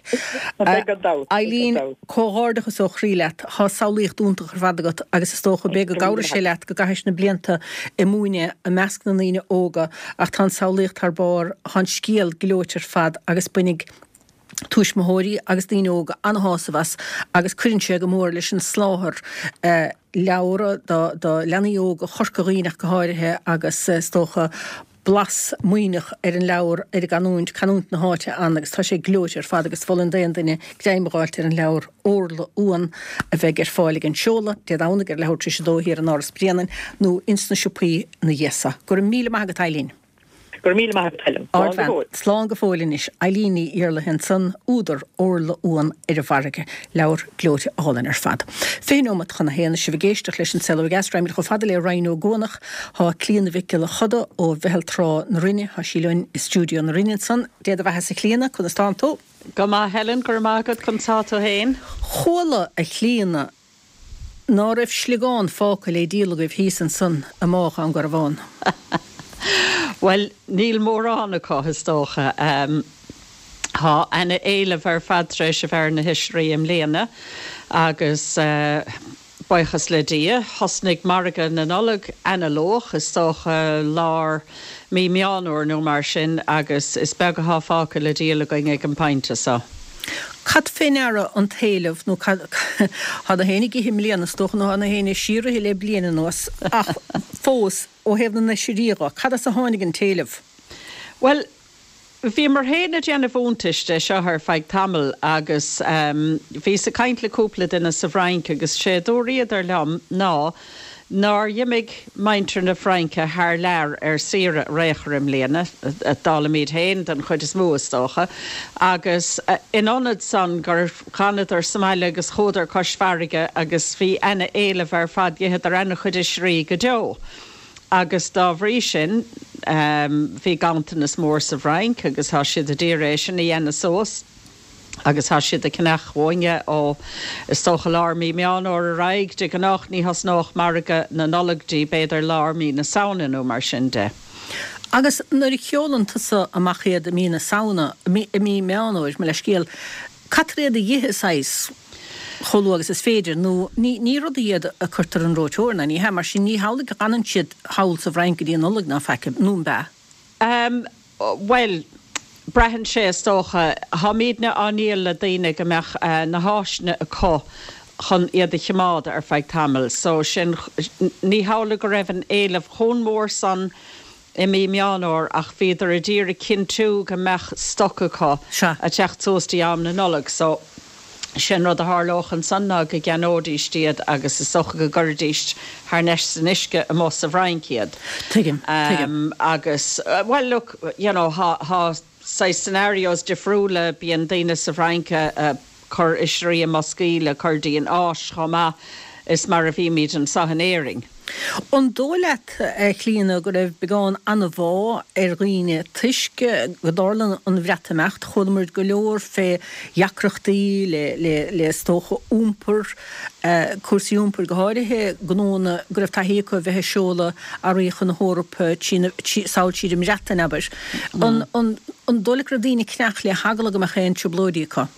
Beidh gan dabht. Eileen, comhghairdeachas ó chroí leat. Tá samhlaíocht iontach ar fad agat agus is dócha b'fhéidir go gcabhraigh sé leat go gcaithis na blianta ag múineadh i measc na ndaoine óga ach tá an samhlaíocht thar barr, tá an scéal gleoite ar fad agus bainfidh tuismitheoirí agus daoine óga an-shásamh as agus cuireann sé go mór leis an soláthar leabhra do leanaí óga Chorca Dhuibhne ach go háirithe agus is dócha blas Muimhneach ar an leabhar, ar an gcanúint, canúint na háite ann agus tá sé gleoite ar fad agus mholfainn d'aon duine greim a dh'fháilt ar an leabhar Órla Uan a bheidh ar fáil ag an seoladh Dé Domhnaigh ar leathuair tar éis a dó thiar in Áras Bhréanainn nó ins na siopaí ina dhiaidh so. Go raibh míle maith agat Eileen. Go raibh míle maith agat Helen. Slán go fóill. Slán go fóill anois. Eileen Ní Iarlaithe ansan, údar Órla Uan ar an bhFarraige. Leabhar gleoite álainn ar fad. 20 neomat chun a haon is sibh ag éisteacht leis an Saol Ó Dheas. Raghaimid chomh fada le Rinn Ó gCuanach. Tá Clíona Mhic Giolla Choda ó Mheitheal Trá na Rinne, tá sí linn i stiúideo na Rinne ansan. Dé do bheathasa a Chlíona, conas tánn tú? Go maith Helen, go raibh maith agat, conas tá tú fhéin? Chuala, a Chlíona, ná raibh sliogán fágtha le díol agaibh thíos ansan i mBá Dhún Garbhán. Bhuel, níl mórán acu, is dócha. Tá ana-éileamh ar fad tar éis a bheith ar na hoisrí i mbliana agus buíochas le Dia, thosnaigh margadh na Nollag ana-luath, is dócha lár mí Meán Fhómhair nó mar sin agus is beag atá fágtha le díol againn ag an bpointe so. Cad fé ndeara an t-éileamh nó cad, tá na héinne ag ithe i mbliana is dócha nó tá na héinne ag síorithe le bliain anuas ach fós ó thaobh na n-oisrí dho, cad as a tháinig an t-éileamh? Bhuel, Bhíomar féin ag déanamh iontais de seo ar feadh tamaill agus bhíos ag caint le cúpla duine sa bhFrainc agus sé a dúraíodar liom ná nár dh'imigh muintir na Fraince thar lear ar saoire ar aon chor i mbliana, dála muid féin den chuid is mó is dócha, agus in ionad san gur dh'fhanadar sa mbaile agus chuadar cois farraige agus bhí ana-éileamh ar fad, d'itheadar ana-chuid oisrí go deo. Agus dá bhrí sin, bhí ganntanas mór sa bhFrainc agus tá siad a d'iarraidh é sin a dhéanamh suas agus tá siad ag ceannach uainne ó, is dócha, lár mí Meán Fhómhair ar aghaidh. De ghnách ní thosnódh margadh na Nollag dtí b'fhéidir lár mí na Samhna nó mar sin de. Agus nuair a sheolann tusa amach iad i mí na Samhna, i mí Meán Fhómhair, mo leithscéal, Caithfear iad a dh'ithe saghas chomh luath agus is féidir, nó ní, ní rudaí iad a cuirtear an reoiteoir, ná ní hea, mar sin ní hamhlaidh go bhfanann siad thall sa bhFrainc go dtí an Nollaig ná faic, nó an b'ea? Em, bhuel, braitheann sé is dócha. Táimídne á ndíol le daoine go mbeadh na háiseanna acu chun iad a chimeád ar feadh tamaill, so sin, ní hamhlaidh go raibh an éileamh chomh mór san i mí Meán Fhómhair ach bhíodar a d'iarraidh cinntiú go mbeadh stoc acu Sea. a teacht suas dtí am na Nollag so sé an rud a tharlódh ansan ná go gceannóidíst iad agus is dócha go gcuirfidíst thar n-ais san uisce amuigh sa bhFrainc iad. Tuigim, tuigim. Agus, bhuel look, you know, thá, thá saghas scenarios difriúla, bíonn daoine sa bhFrainc a cur oisrí i mboscaí le cur dtí an Áis chomh maith is mar a bhímid anseo in Éirinn. An dóigh leat, a Chlíona, go raibh beagán anbhá ar dhaoine toisc go dtarlaíonn an Bhreatimeacht? Chuala muid go leor fé dheacrachtaí le, le, le is dócha iompar, cúrsaí iompair go háirithe, gnóanna go raibh taithí acu a bheith ag seoladh earraí chun na hEorpa sall tríd an mBreatain, abair. An, an, an dóigh leat go raibh daoine ag creach le heagla go mbeadh aon trioblóidí acu?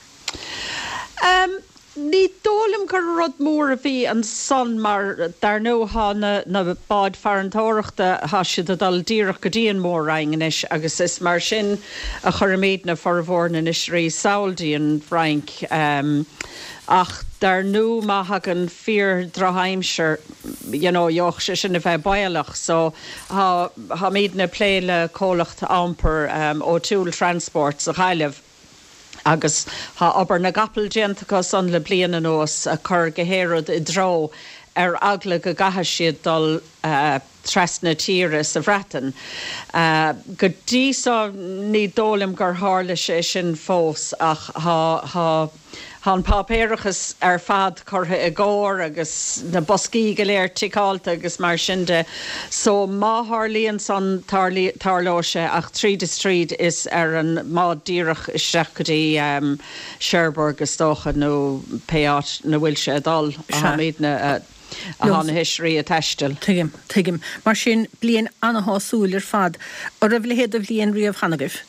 Ní dóigh liom gur rud mór a bhí ansan mar dar ndóigh thá na na báid farantóireachta, thá siad ag dul díreach go dtí an Mór-Roinn anois agus is mar sin a chuirimídne formhór na n-oisrí sall dtí an bhFrainc. Ach dar ndóigh má thagann fíor drochaimsir you know gheobhadh sé sin a bheith baolach so thá tháimídne ag plé le comhlacht iompair O'Toole Transport sa Ghaillimh. Agus thá obair na gcapall déanta acu san le bliain anuas, ag cur gach aon rud i dtreo ar eagla go gcaithfidh siad dul trasna tíre sa Bhreatain. Go dtí so ní dóigh liom gur tharla sé sin fós ach thá, thá. Tá an páipéarachas ar fad curtha i gcóir agus na boscaí go léir ticeáilte agus mar sin de so má tharlaíonn san, tarlóidh sé ach tríd is tríd is ar an mbád díreach isteach go dtí Cherbourg is dócha nó pé áit 'na bhfuil sé ag dul a tháimídne, a thá na hoisrí ag taisteal. Tuigim, tuigim. Mar sin, bliain ana-shásúil ar fad. An raibh a leithéid de bhliain riamh cheana agaibh?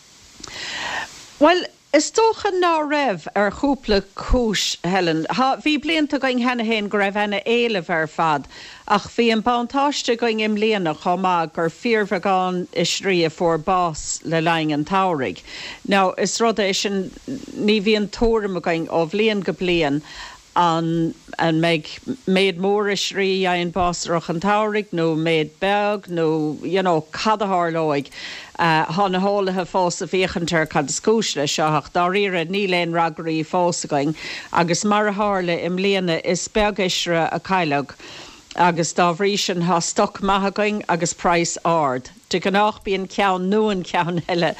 Bhuel, Is dócha ná raibh, ar chúpla cúis, Helen. Thá, bhí blianta againn cheana fhéin go raibh ana éileamh ar fad, ach bhí an buntáiste againn i mbliana chomh maith gur fíorbheagán oisrí a fuair bás le linn an tsamhraidh. Now, is rud é sin, ní bhíonn tuairim againn ó bhliain go bliain an an mbeidh méid mór oisrí a fhaigheann bás i rith an tsamhraidh nó méid beag nó you know cad a tharlóidh. Thá na heolaithe fós ag féachaint ar cad is cúis leis seo ach dáiríre níl aon fhreagraí fós againn agus mar a tharla i mbliana is beag oisre a cailleadh agus dá bhrí sin thá stoc maith againn agus praghas ard. De ghnách bíonn ceann nó an ceann eile,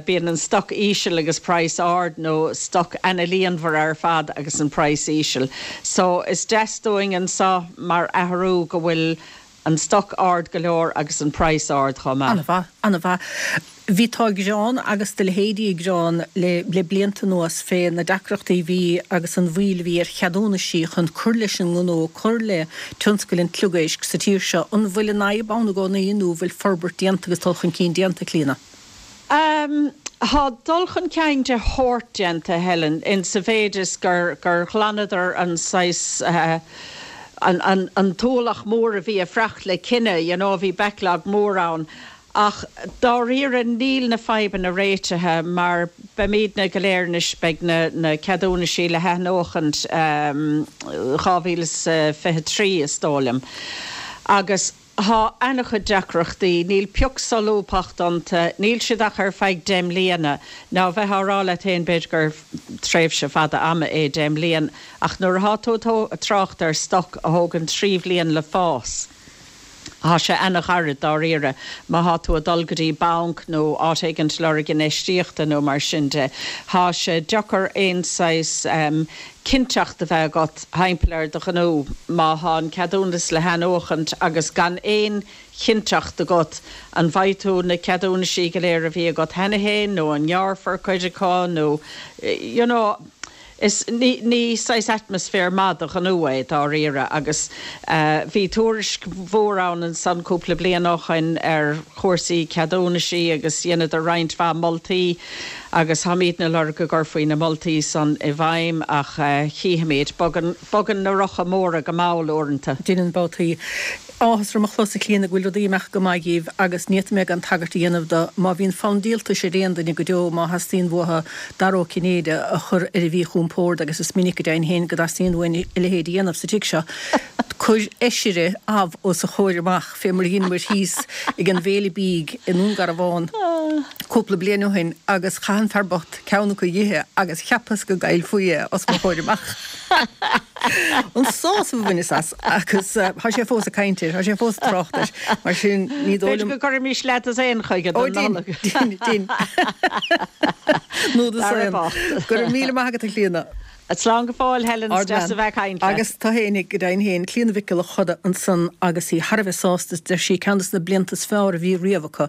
bíonn an stoc íseal agus praghas ard nó stoc ana-líonmhar ar fad agus an praghas íseal. So is deas dúinn anseo mar athrú go bhfuil an stoc ard go leor agus an praghas ard chomh maith. Ana-mhaith, ana-mhaith. Bhí tú ag gearán agus do leithéidí ag gearán le le blianta anuas fé na deacrachtaí a bhí agus an mhoill a bhí ar cheadúnaisí chun cur leis an ngnó, cur le tionscal an tSliogéisc sa tír seo. An bhfuil an fhadhb ann i gcónaí nó an bhfuil forbairt déanta agus dul chun cinn déanta, Clíona? Tá dul chun cinn de shórt déanta, Helen, in sa mhéid is gur gur ghlanadar an saghas an an an t-ualach mór a bhí ag fuireacht le cinneadh, you know, bhí backlog mór ann. Ach dáiríre níl na fadhbanna réitithe mar beimídne go léir anois, beidh na na ceadúnaisí le hathnuachaint 2023 is dóigh liom agus thá ana-chuid deacrachtaí, níl pioc solúbthacht iontu, níl siad ach ar feadh 10 mbliana. Now bheith á rá leat féin b'fhéidir gur tréimhse fada ama é 10 mbliain ach nuair athá tú ag trácht ar stoc a thógann 3 bhliain le fás, Thá sé ana-ghairid dáiríre má thá tú ag dul go dtí banc nó áit éigint lorg infheistíochta nó mar sin de. Thá sé deacair aon saghas cinnteacht a bheith agat thimpeall ar do ghnó má thá an ceadúnas le hathnuachaint agus gan aon chinnteacht agat an bhfaighidh tú na ceadúnaisí go léir a bhí agat cheana fhéin nó an ngearrfar cuid acu nó you know. Is ní saghas atmaisféar maith do ghnó é, dáiríre, agus bhí tuairisc mhór ann ansan cúpla bliain ó shoin ar chúrsaí ceadúnaisí agus dheineadar roinnt mhaith moltaí agus táimídne ag lorg go gcuirfí na moltaí san i bhfeidhm ach chífimíd. Bogann, bogann na rocha móra go mall uaireanta. Deineann babhtaí. Áthas orm a chlos, a Chlíona, go bhfuil rudaí ag imeacht go maith dhíbh agus ní fhéadfaidh mé gan tagairt a dhéanamh do má bhíonn fonn díoltais ar aon duine go deo má theastaíonn uathu Dara Ó Cinnéide a chur ar a mhíchompord agus is minic go deimhin féin go dteastaíonn uainn a leithéid a dhéanamh sa tigh seo, cuir oisre amh os a chomhair amach fé mar a dheineamair thíos ag an bhféile bídh i nDún Garbhán. Cúpla bliain ó shin agus chaith an fear bocht ceann acu a dh'ithe agus cheapas go gcaillfí é os mo chomhair amach. An sásamh a bhaineas as agus tá sé fós ag caint air, tá sé fós ag trácht air, mar sin ní dóigh liom. B'fhéidir go gcuirfimis leat as aon chuige don Nollaig. Ó dein, dein, dein. Nó do Dara bocht. Go raibh míle maith agat a Chlíona. Slán go fóill, Helen, is deas a bheith ag caint leat. Agus tú fhéinig, go deimhin féin, Clíona Mhic Giolla Choda ansan agus í thar a bheith sásta, deir sí, ceann des na blianta is fearr a bhí riamh acu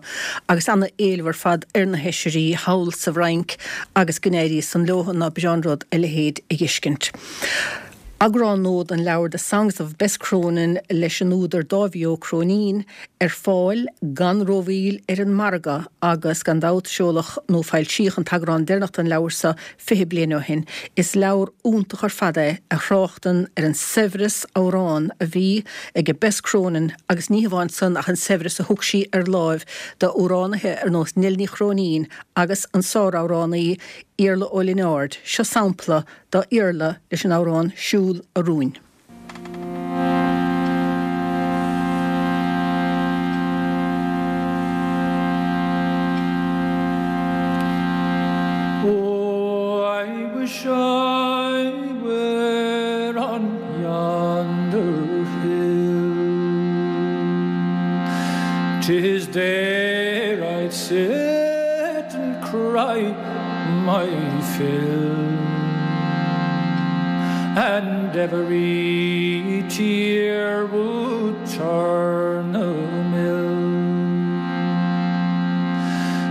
agus ana éileamh ar fad ar na hOisrí thall sa bhFrainc agus go n-éirí san leo, ná breá an rud a leithéid a dh'fheiscint. Eagrán nua den leabhar The Songs of Bess Cronin leis an údar Dáibhí Ó Cróinín ar fáil gan rómhoill ar an margadh agus gan dabht seoladh nó foilsíodh an t-eagrán deireanach den leabhar seo 20 bliain ó shin. Is leabhar iontach ar fad é a thráchtann ar an saibhreas amhrán a bhí ag Bess Cronin agus ní hamháin san ach an saibhreas a thug sí ar láimh d'amhránaithe ar nós Nell Ní Chróinín agus an sáramhránaí Iarla Ó Lionáird. Seo sampla d'Iarla leis an amhrán Siúl a Rúin. Oh, I wish I were on yonder hill 'Tis there I'd sit and cry my fill And every tear would turn a mill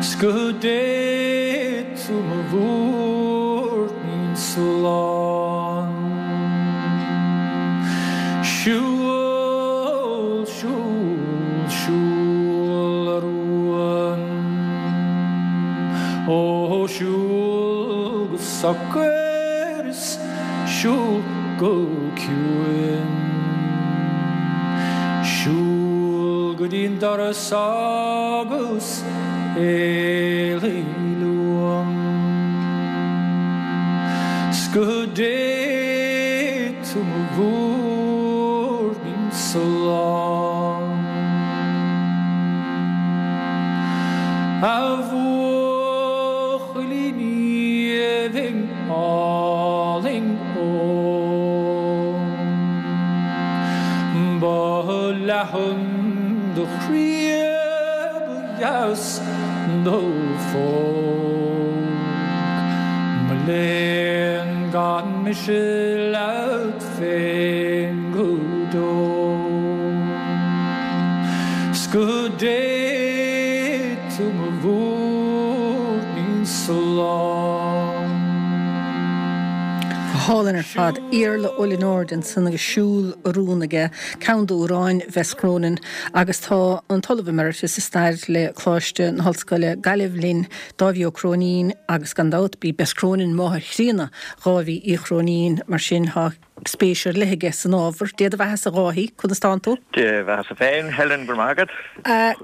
'S go dté tú mo mhúirnín slán Siúl, siúl, siúl a rún Ó siúl go socair is siúl go ciúin Siúl go dtí'n doras agus éalaigh uaim 'S go dté tú mo mhúirnín slán A bhuachaillín aoibhinn álainn óg Ba leathan do chroí ba dheas do phóg Mo léan gan mise leat féin go deo 'S go dté tú mo mhúirnín slán. Go hálainn ar fad. Iarla Ó Lionáird ansan agus Siúl a Rún aige, ceann d'amhráin Bhess Cronin agus tá an tOllamh Emeritus i Stair le Coláiste na hOllscoile Gaillimh linn, Dáibhí Ó Cróinín agus gan dabht b'í Bess Cronin máthair chríonna Dháibhí Uí Chróinín mar sin tá spéis ar leith aige san ábhar. Dé do bheathasa a Dháithí, conas tánn tú? Dé do bheathasa féin, Helen, go raibh maith agat.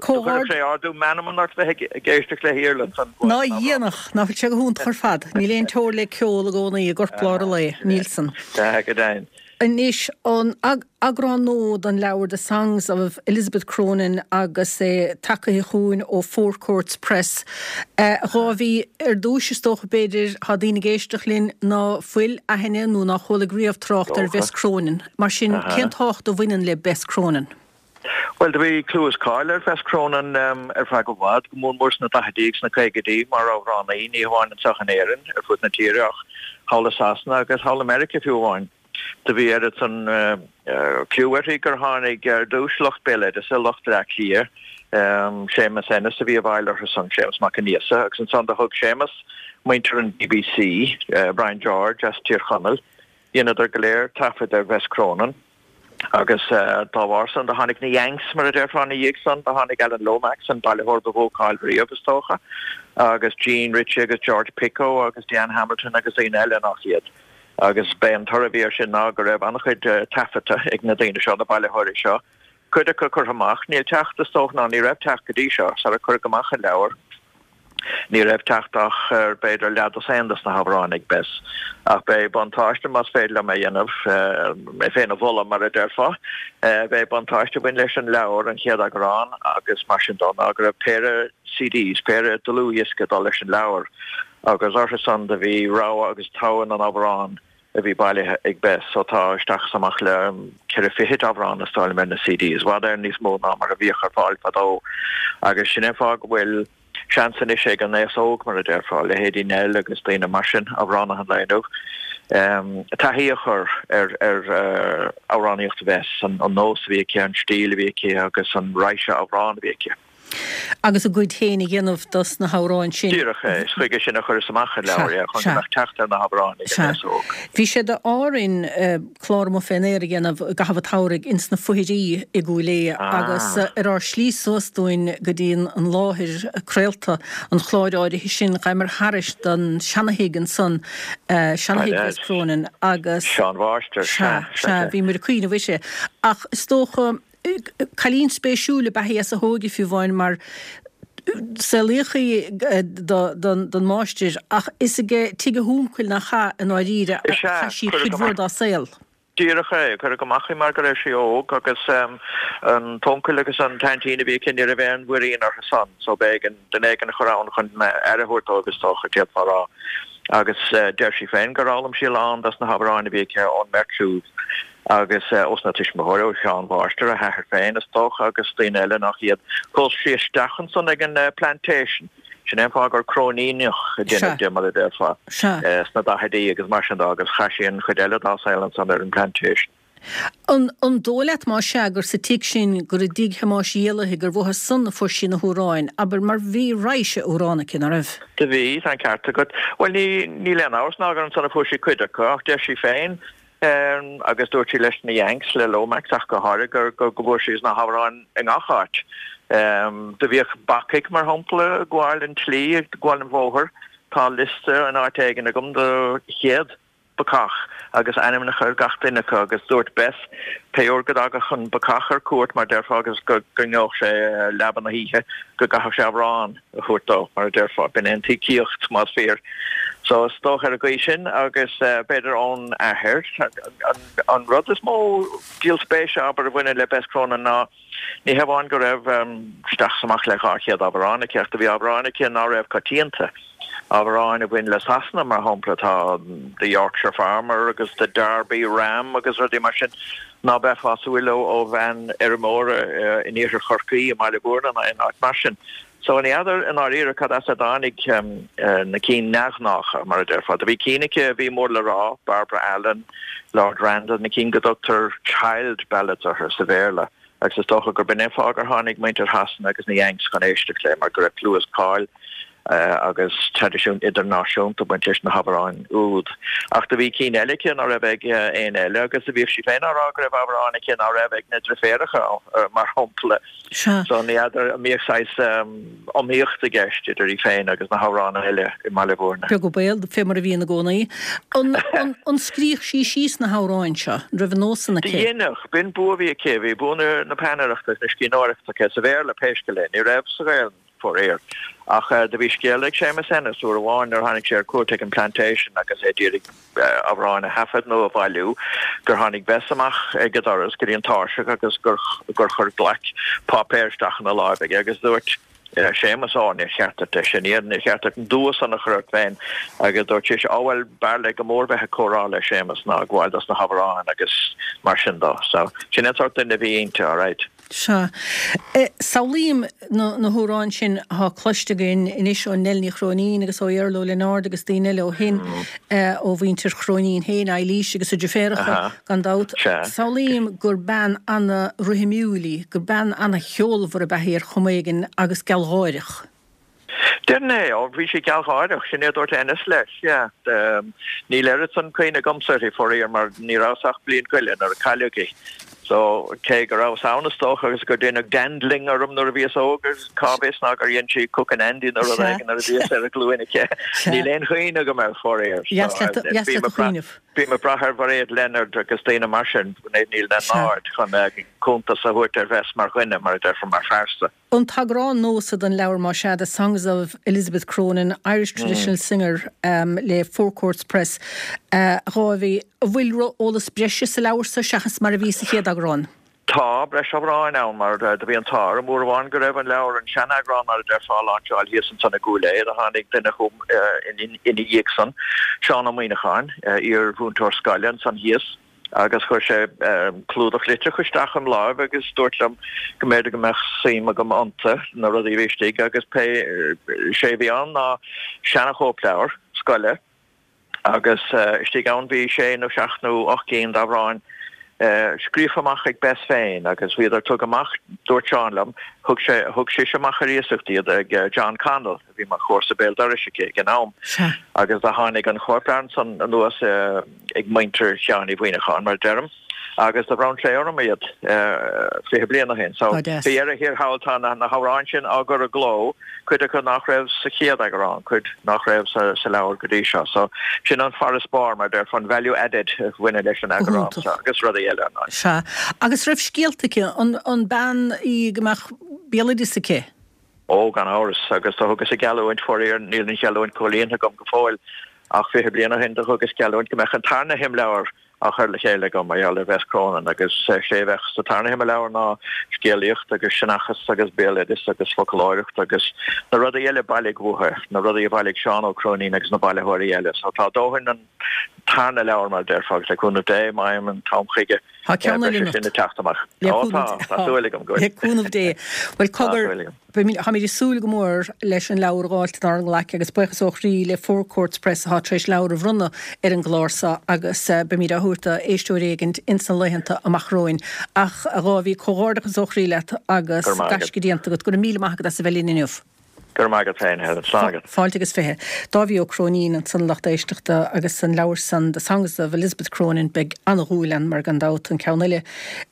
Comhghaird. Chuirfeadh sé ardú meanman ort bheith ag éisteacht le hIarla ansan. Ná dhéanfadh, ná fuil sé go hiontach ar fad. Níl aon teora le ceol i gcónaí i gcorplár an lae, níl san. Sea, go deimhin. Anois, an eagrán nua den leabhar The Songs of Elizabeth Cronin agus é tagaithe chugainn ó Four Courts Press. A Dháibhí, ar dtúis is dócha b'fhéidir, tá daoine ag éisteacht linn ná fuil aithne nó ná chualaidh riamh trácht ar Bhess Cronin. Mar sin, cén tábhacht a bhaineann le Bess Cronin? Bhuel, do bhí clú is cáil ar Bhess Cronin ar feadh i bhfad, go mór mór sna daichidí agus sna caogaidí, mar amhránaí, ní hamháin anseo in Éirinn, ar fud na tíre, ach thall i Sasana agus thall i Meiriceá fiú amháin. Do bhí oiread san cliú uirthi gur tháinig ar dtúis lucht béaloideasa, lucht Bhleá Cliath, Séamus Ennis a bhí i bhfeighil orthu san, Séamus Mac Aonghusa, agus ansan do thug Séamus muintir an BBC, Brian George as Tír Chonaill, dheineadar go léir taifead ar Bhess Cronin. Agus dá bharr san, do tháinig na Yanks, mar a déarfá, ina dhiaidh san. Do tháinig Alan Lomax, an bailitheoir ba mhó cáil riamh, is dócha, agus Jean Ritchie agus George Picot agus Diane Hamilton agus daoine eile nach iad. Agus b'é an toradh a bhí air sin ná go raibh an-chuid taifeadta ag na daoine seo, na bailitheoirí seo. Cuid acu curtha amach. Níl teacht, is dócha, ná ní raibh teacht go dtí seo, sara cuireadh amach an leabhar. Ní raibh teacht ach ar b'fhéidir leathdosaen dos na hamhráin ag Bess. Ach b'é buntáiste, más féidir liom é a dhéanamh, mé féin a mholadh mar a déarfá, b'é buntáiste a bhain leis an leabhar, an chéad eagrán agus mar sin dó, ná go raibh péire CDs, péire dlúthdhiosca ag dul leis an leabhar agus orthu san do bhí rogha agus togha na n-amhrán a bhí bailithe ag Bess. So tá isteach is amach le ceithre fichid amhrán is dóigh liom ar na CDs, i bhfad Éireann níos mó ná mar a bhíodh ar fáil fadó agus sin é an fáth go bhfuil seans anois ag an aos óg, mar a déarfá, leithéidí Nell agus daoine mar sin, amhránaithe an lae inniu, taithí a chur ar ar amhránaíocht Bhess, an nós a bhí aici, an stíl a bhí aici agus an raidhse amhrán a bhí aici. Agus a gcuid féin a dhéanamh dos na hamhráin sin. Díreach é. Is chuige sin a chuireas amach an leabhar é, chun go mbeadh teacht ar na hamhráin ag an aos óg. Bhí sé d'ádh orainn clár amuigh fén aer a dhéanamh i gcaitheamh an tsamhraidh ins na Foithirí i gCúil Aodha agus ar ár slí suas dúinn go dtí an láthair craolta an chláir áirithe sin ghabhamar thairis don seana-thigh ansan, seana-thigh Bhess Cronin agus. Seanmháistir, sea, sea. Sea, bhíomar ag cuimhneamh uirthi. Ach is dócha. Cailín spéisiúil ab ea í as a hóige fiú amháin mar saolaíodh í don máistir ach is ag tigh a huncail nach ea i ndáiríre a chaith sí cuid mhór dá saol. Díreach é. Cuireadh amach í mar go raibh sí óg agus an t-uncail agus an t-aintín a bhí aici ní raibh aon mhuirín orthu san so b'éigean duine éigin a chur ann chun aire a thabhairt dóibh is dócha, d'fhéadfá a rá. Agus deir sí féin gur fhoghlaim sí a lán dos na hamhráin a bhí aici ón mbeirt siúd. agus ós na tuismitheoirí, ó sheanmháistir, a hathair féin, is dócha, agus daoine eile nach iad. Phós sí isteach ansan ag an Plantation. Sin é an fáth gur Cróiníneach a deineadh di, mar a déarfá, sna daichidí agus mar sin de, agus chaith sí an chuid eile dá saol ansan ar an Plantation. An dóigh leat, más ea, gur sa tigh sin, gur i dtigh Thomáis Éalaithe, gur uathu san a fuair sí na hamhráin, abair, mar bhí raidhse amhrán aici, ná raibh? Do bhí, tá an ceart agat. Bhuel, ní, níl aon amhras ná gur ansan a fuair sí cuid acu, ach deir sí féin, Agus dúirt sí leis na Yanks, le Lomax ach go háirithe, gur go bhfuair sí na hamhráin i ngach áit. Do bhíodh bacaigh, mar shampla, ag gabháil an tslí, ag gabháil an bhóthair. Tá liosta in áit éigin agam de chéad bacach agus ainmneacha ar gach duine acu agus dúirt Bess pé uair go dtagadh an bacach ar cuairt, mar déarfá, agus go ngeobhadh sé leaba na hoíche, go gcaithfeadh sé amhrán. a thabhairt dó, mar a déarfá. B'in é an t-íocaíocht, más fíor. So, is dócha ar an gcaoi sin, agus b'fhéidir ón athair. An rud is mó díol spéise, abair, a bhaineann le Bess Cronin ná ní hamháin go raibh isteach is amach le 200 amhrán aici, ach do bhí amhráin aici ná raibh coitianta. Amhráin a bhain le Sasana, mar shampla, tá The Yorkshire Farmer agus The Derby Ram agus rudaí mar sin ná beifeá ag súil leo ó bhean fheirmeora in iarthar Chorcaí, i mBaile Bhúirne ná in áit mar sin. So ní fheadar i ndáiríre cad as a dtáinig na cinn neamhghnácha, mar a déarfá. Do bhí cinn aici a bhí mór le rá, Barbara Allen, Lord Randall, na cinn go dtugtar child ballads orthu sa Bhéarla, agus is dócha gurb in é an fáth gur tháinig muintir Shasana agus na Yanks chun éisteacht léi, mar go raibh clú is cáil agus traidisiún idirnáisiúnta ag baint leis na hamhráin úd. Ach do bhí cinn eile aici ná raibh ag éinne eile, agus do bhíodh sí féin á rá go raibh amhráin aici ná raibh ag na driféaracha, mar shampla. Sea. So ní fheadar an mbíodh saghas iomaíocht i gceist idir í féin agus na hamhránaithe eile i mBaile Bhúirne. Beag an baol, fé mar a bhíonn i gcónaí. An, an, an scríodh sí síos na hamhráin seo? An raibh an nós san aici? Dheineadh. B'in bua a bhí aici. Bhí bua na, na peannaireachta agus na scríbhneoireachta aici, sa Bhéarla pé scéal é. Ní raibh sa Ghaelainn, faraor. Ach do bhí scéal ag Séamus Ennis uair amháin nuair a tháinig sé ar cuairt ag an Plantation agus é d'iarraidh amhráin a thaifead nó a bhailiú, gur tháinig Bess amach ag an doras go dtí an tairseach agus gur chuir glaic páipéir isteach ina láimh aige agus dúirt Séamus, Ó, níor cheart duit é sin a dhéanamh, níor cheart duit an dua san a chur ort féin agus dúirt sise, Ó bhuel, b'fhearr léi go mór bheith ag comhrá le Séamus ná ag gabháil dos na hamhráin agus mar sin dó. So, sin an sórt duine a bhí inti, alright. Sea. Samhlaím na hamhráin sin atá cloiste againn anois ó Nell Ní Chróinín agus ó Iarla Ó Lionáird agus daoine eile ó shin, ó mhuintir Chróinín féin, Eilís agus a deirféaracha, gan dabht. Samhlaím gur bean ana-rithimiúil í, gur bean ana-cheolmhar ab ea í ar chuma éigin agus gealgháireach. Déarfainn é, ó bhí sí gealgháireach, sin é a dúirt Ennis leis, yeah. Níl oiread san cuimhne agamsa uirthi, faraor, mar ní rabhas ach bliain go leith nuair a cailleadh í. So, cé go rabhas ann is dócha agus gur deineadh dandling orm nuair a bhíos óg agus cá bhfios ná gur dhein sí cook and Andy nó rud éigin nuair a bhíos ar a glúin aici. Níl aon chuimhne agam air, faraor. Dheas leat a chuimhneamh. Bím ag brath ar Mhairéad Leonard agus daoine mar sin, Mairéad Ní Lionáird, chun cuntas a thabhairt ar Bhess mar dhuine, mar a déarfá, mar phearsa. An t-eagrán nua so den leabhar, más ea, The Songs of Elizabeth Cronin, Irish Traditional Singer le Four Courts Press, a Dháibhí, an bhfuil eolas breise sa leabhar so seachas mar a bhí sa chéad eagrán? Tá breis amhráin ann mar do bhí an t-ádh orm uair amháin go raibh an leabhar, an sean-eagrán mar a déarfá, á láinseáil thíos ansan i gCúil Aodha. Do tháinig duine chugam ina dhiaidh san, Seán Ó Muíneacháin, iar-mhúinteoir scoile ansan thíos, agus chuir sé clúdach litreach isteach im láimh agus dúirt liom go mb'fhéidir go mbeadh suim agam iontu, na rudaí a bhí istigh agus pé, sé a bhí ann ná seana-chóipleabhar scoile, agus istigh ann bhí sé nó seacht nó 8 gcinn d'amhráin scríofa amach ag Bess féin agus bhíodar tugtha amach, dúirt Seán liom, thug sé, thug sise amach ar iasacht iad ag John Connell a bhí mar chomharsa béal dorais aici ag an am agus do tháinig an chóipleabhar ansan anuas ag muintir Sheáin Uí Mhuíneacháin mar a deirim. agus do bhronn sé orm iad 20 bliain ó shin. So, faoi dheireadh thiar thall tá na hamhráin sin á gcur i gcló, cuid acu nach raibh sa chéad eagrán, cuid nach raibh sa leabhar go dtí seo. So, sin an farasbarr, mar a déarfá, an value added a bhaineann leis an eagrán seo agus rudaí eile, ar ndóigh. Sea. Agus raibh scéalta aici? An bean í go mbeadh béaloideas aici? Ó, gan amhras, agus do thugas geallúint, faraor níl an gheallúint comhlíonta agam go fóill, ach 20 bliain ó shin do thugas geallúint go mbeadh an tarna himleabhar á chur le chéile agam mar gheall ar Bhess Cronin agus sé a bheadh sa tarna himleabhar ná scéalaíocht agus seanchas agus béaloideas agus foclóireacht agus na rudaí eile a bailíodh uaithi, na rudaí a bhailigh Seán Ó Cróinín agus na bailitheoirí eile. So tá dóthain an tarna leabhar mar a déarfá agus le cúnamh Dé, má fhaighim an t-am chuige, Tá ceann eile beidh sé sin ag teacht amach. Le Ó tá, tá súil agam go bhfuil. Le cúnamh Dé. Bhuel cogar, Táimid ag súil go mór leis an leabhar a dh'fháilt inár nglaic agus buíochas ó chroí le Four Courts Press atá tar éis leabhar a bhronnadh ar an gclár seo agus beimid á thabhairt do éisteoir éigint ins na laethanta amach romhainn. Ach, a Dháibhí, comhghairdeachas ó chroí leat agus Go raibh maith agat. gaisce déanta agat. Go raibh míle maith agat as a bheith linn inniu. Go raibh maith agat féin, Helen. Slán agat. Fáilte agus 20. Dáibhí Ó Cróinín ansan lucht éisteachta agus an leabhar san The Songs of Elizabeth Cronin beidh ana-dhúil ann mar gan dabht an ceann eile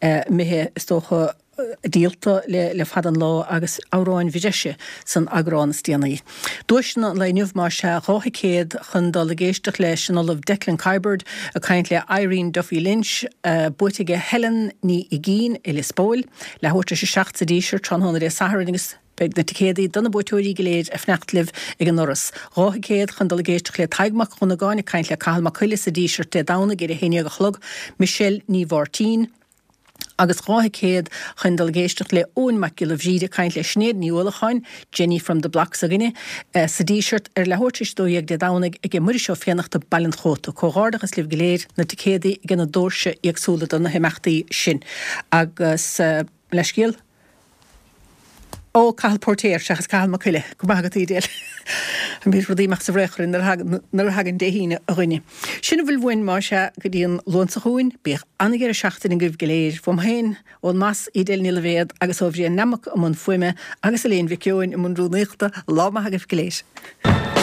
imithe is dócha díolta le fada an lá agus amhráin bhreise san eagrán is déanaí. Duaiseanna an lae inniu más ea, 2 thicéad chun dul ag éisteacht leis an Ollamh Declan Kiberd ag caint le Irene Duffy Lynch, buaite aige Helen Ní Uigín i Lios Póil, leathuair tar éis a 7 sa Díseart tráthnóna Dé Sathairn agus beidh na ticéadaí do na buaiteoirí go léir ag fanacht libh ag an ndoras. 2 thicéad chun dul ag éisteacht le Tadhg Mac Dhonnagáin ag caint le Cathal Mac Coille sa Díseart Dé Domhnaigh ar 11 a chlog, Michelle Ní Mháirtín, agus 2 thicéad chun dul ag éisteacht le Eoin Mac Giolla Bhríde ag caint le Sinéad Ní Uallacháin, Jenny from the Block s'againne, sa Díseart ar leathuair tar éis 12 Dé Domhnaigh aige Muiris Ó Fiannachta, Baile an Chóta. Comhghairdeachas libh go léir, na ticéadaí ag na doirse éagsúla do na himeachtaí sin. Agus leithscéal. Ó, Cathal Póirtéir seachas Cathal Mac Coille. Go raibh maith agat, Edel. Bíonn rudaí amach sa bhfraoch orainn nuair a thagann Dé hAoine, a dhuine. Sin a bhfuil uainn, más ea, go dtí an Luan seo chugainn. Bíodh an-dheireadh seachtaine agaibh go léir. Uaim féin, ón mBoss, Edel Ní Loibhéad, agus ó Bhrian Nammock i mbun fuaime, agus Elaine Mhic Eoin i mbun rúnaíochta, lá maith agaibh go léir.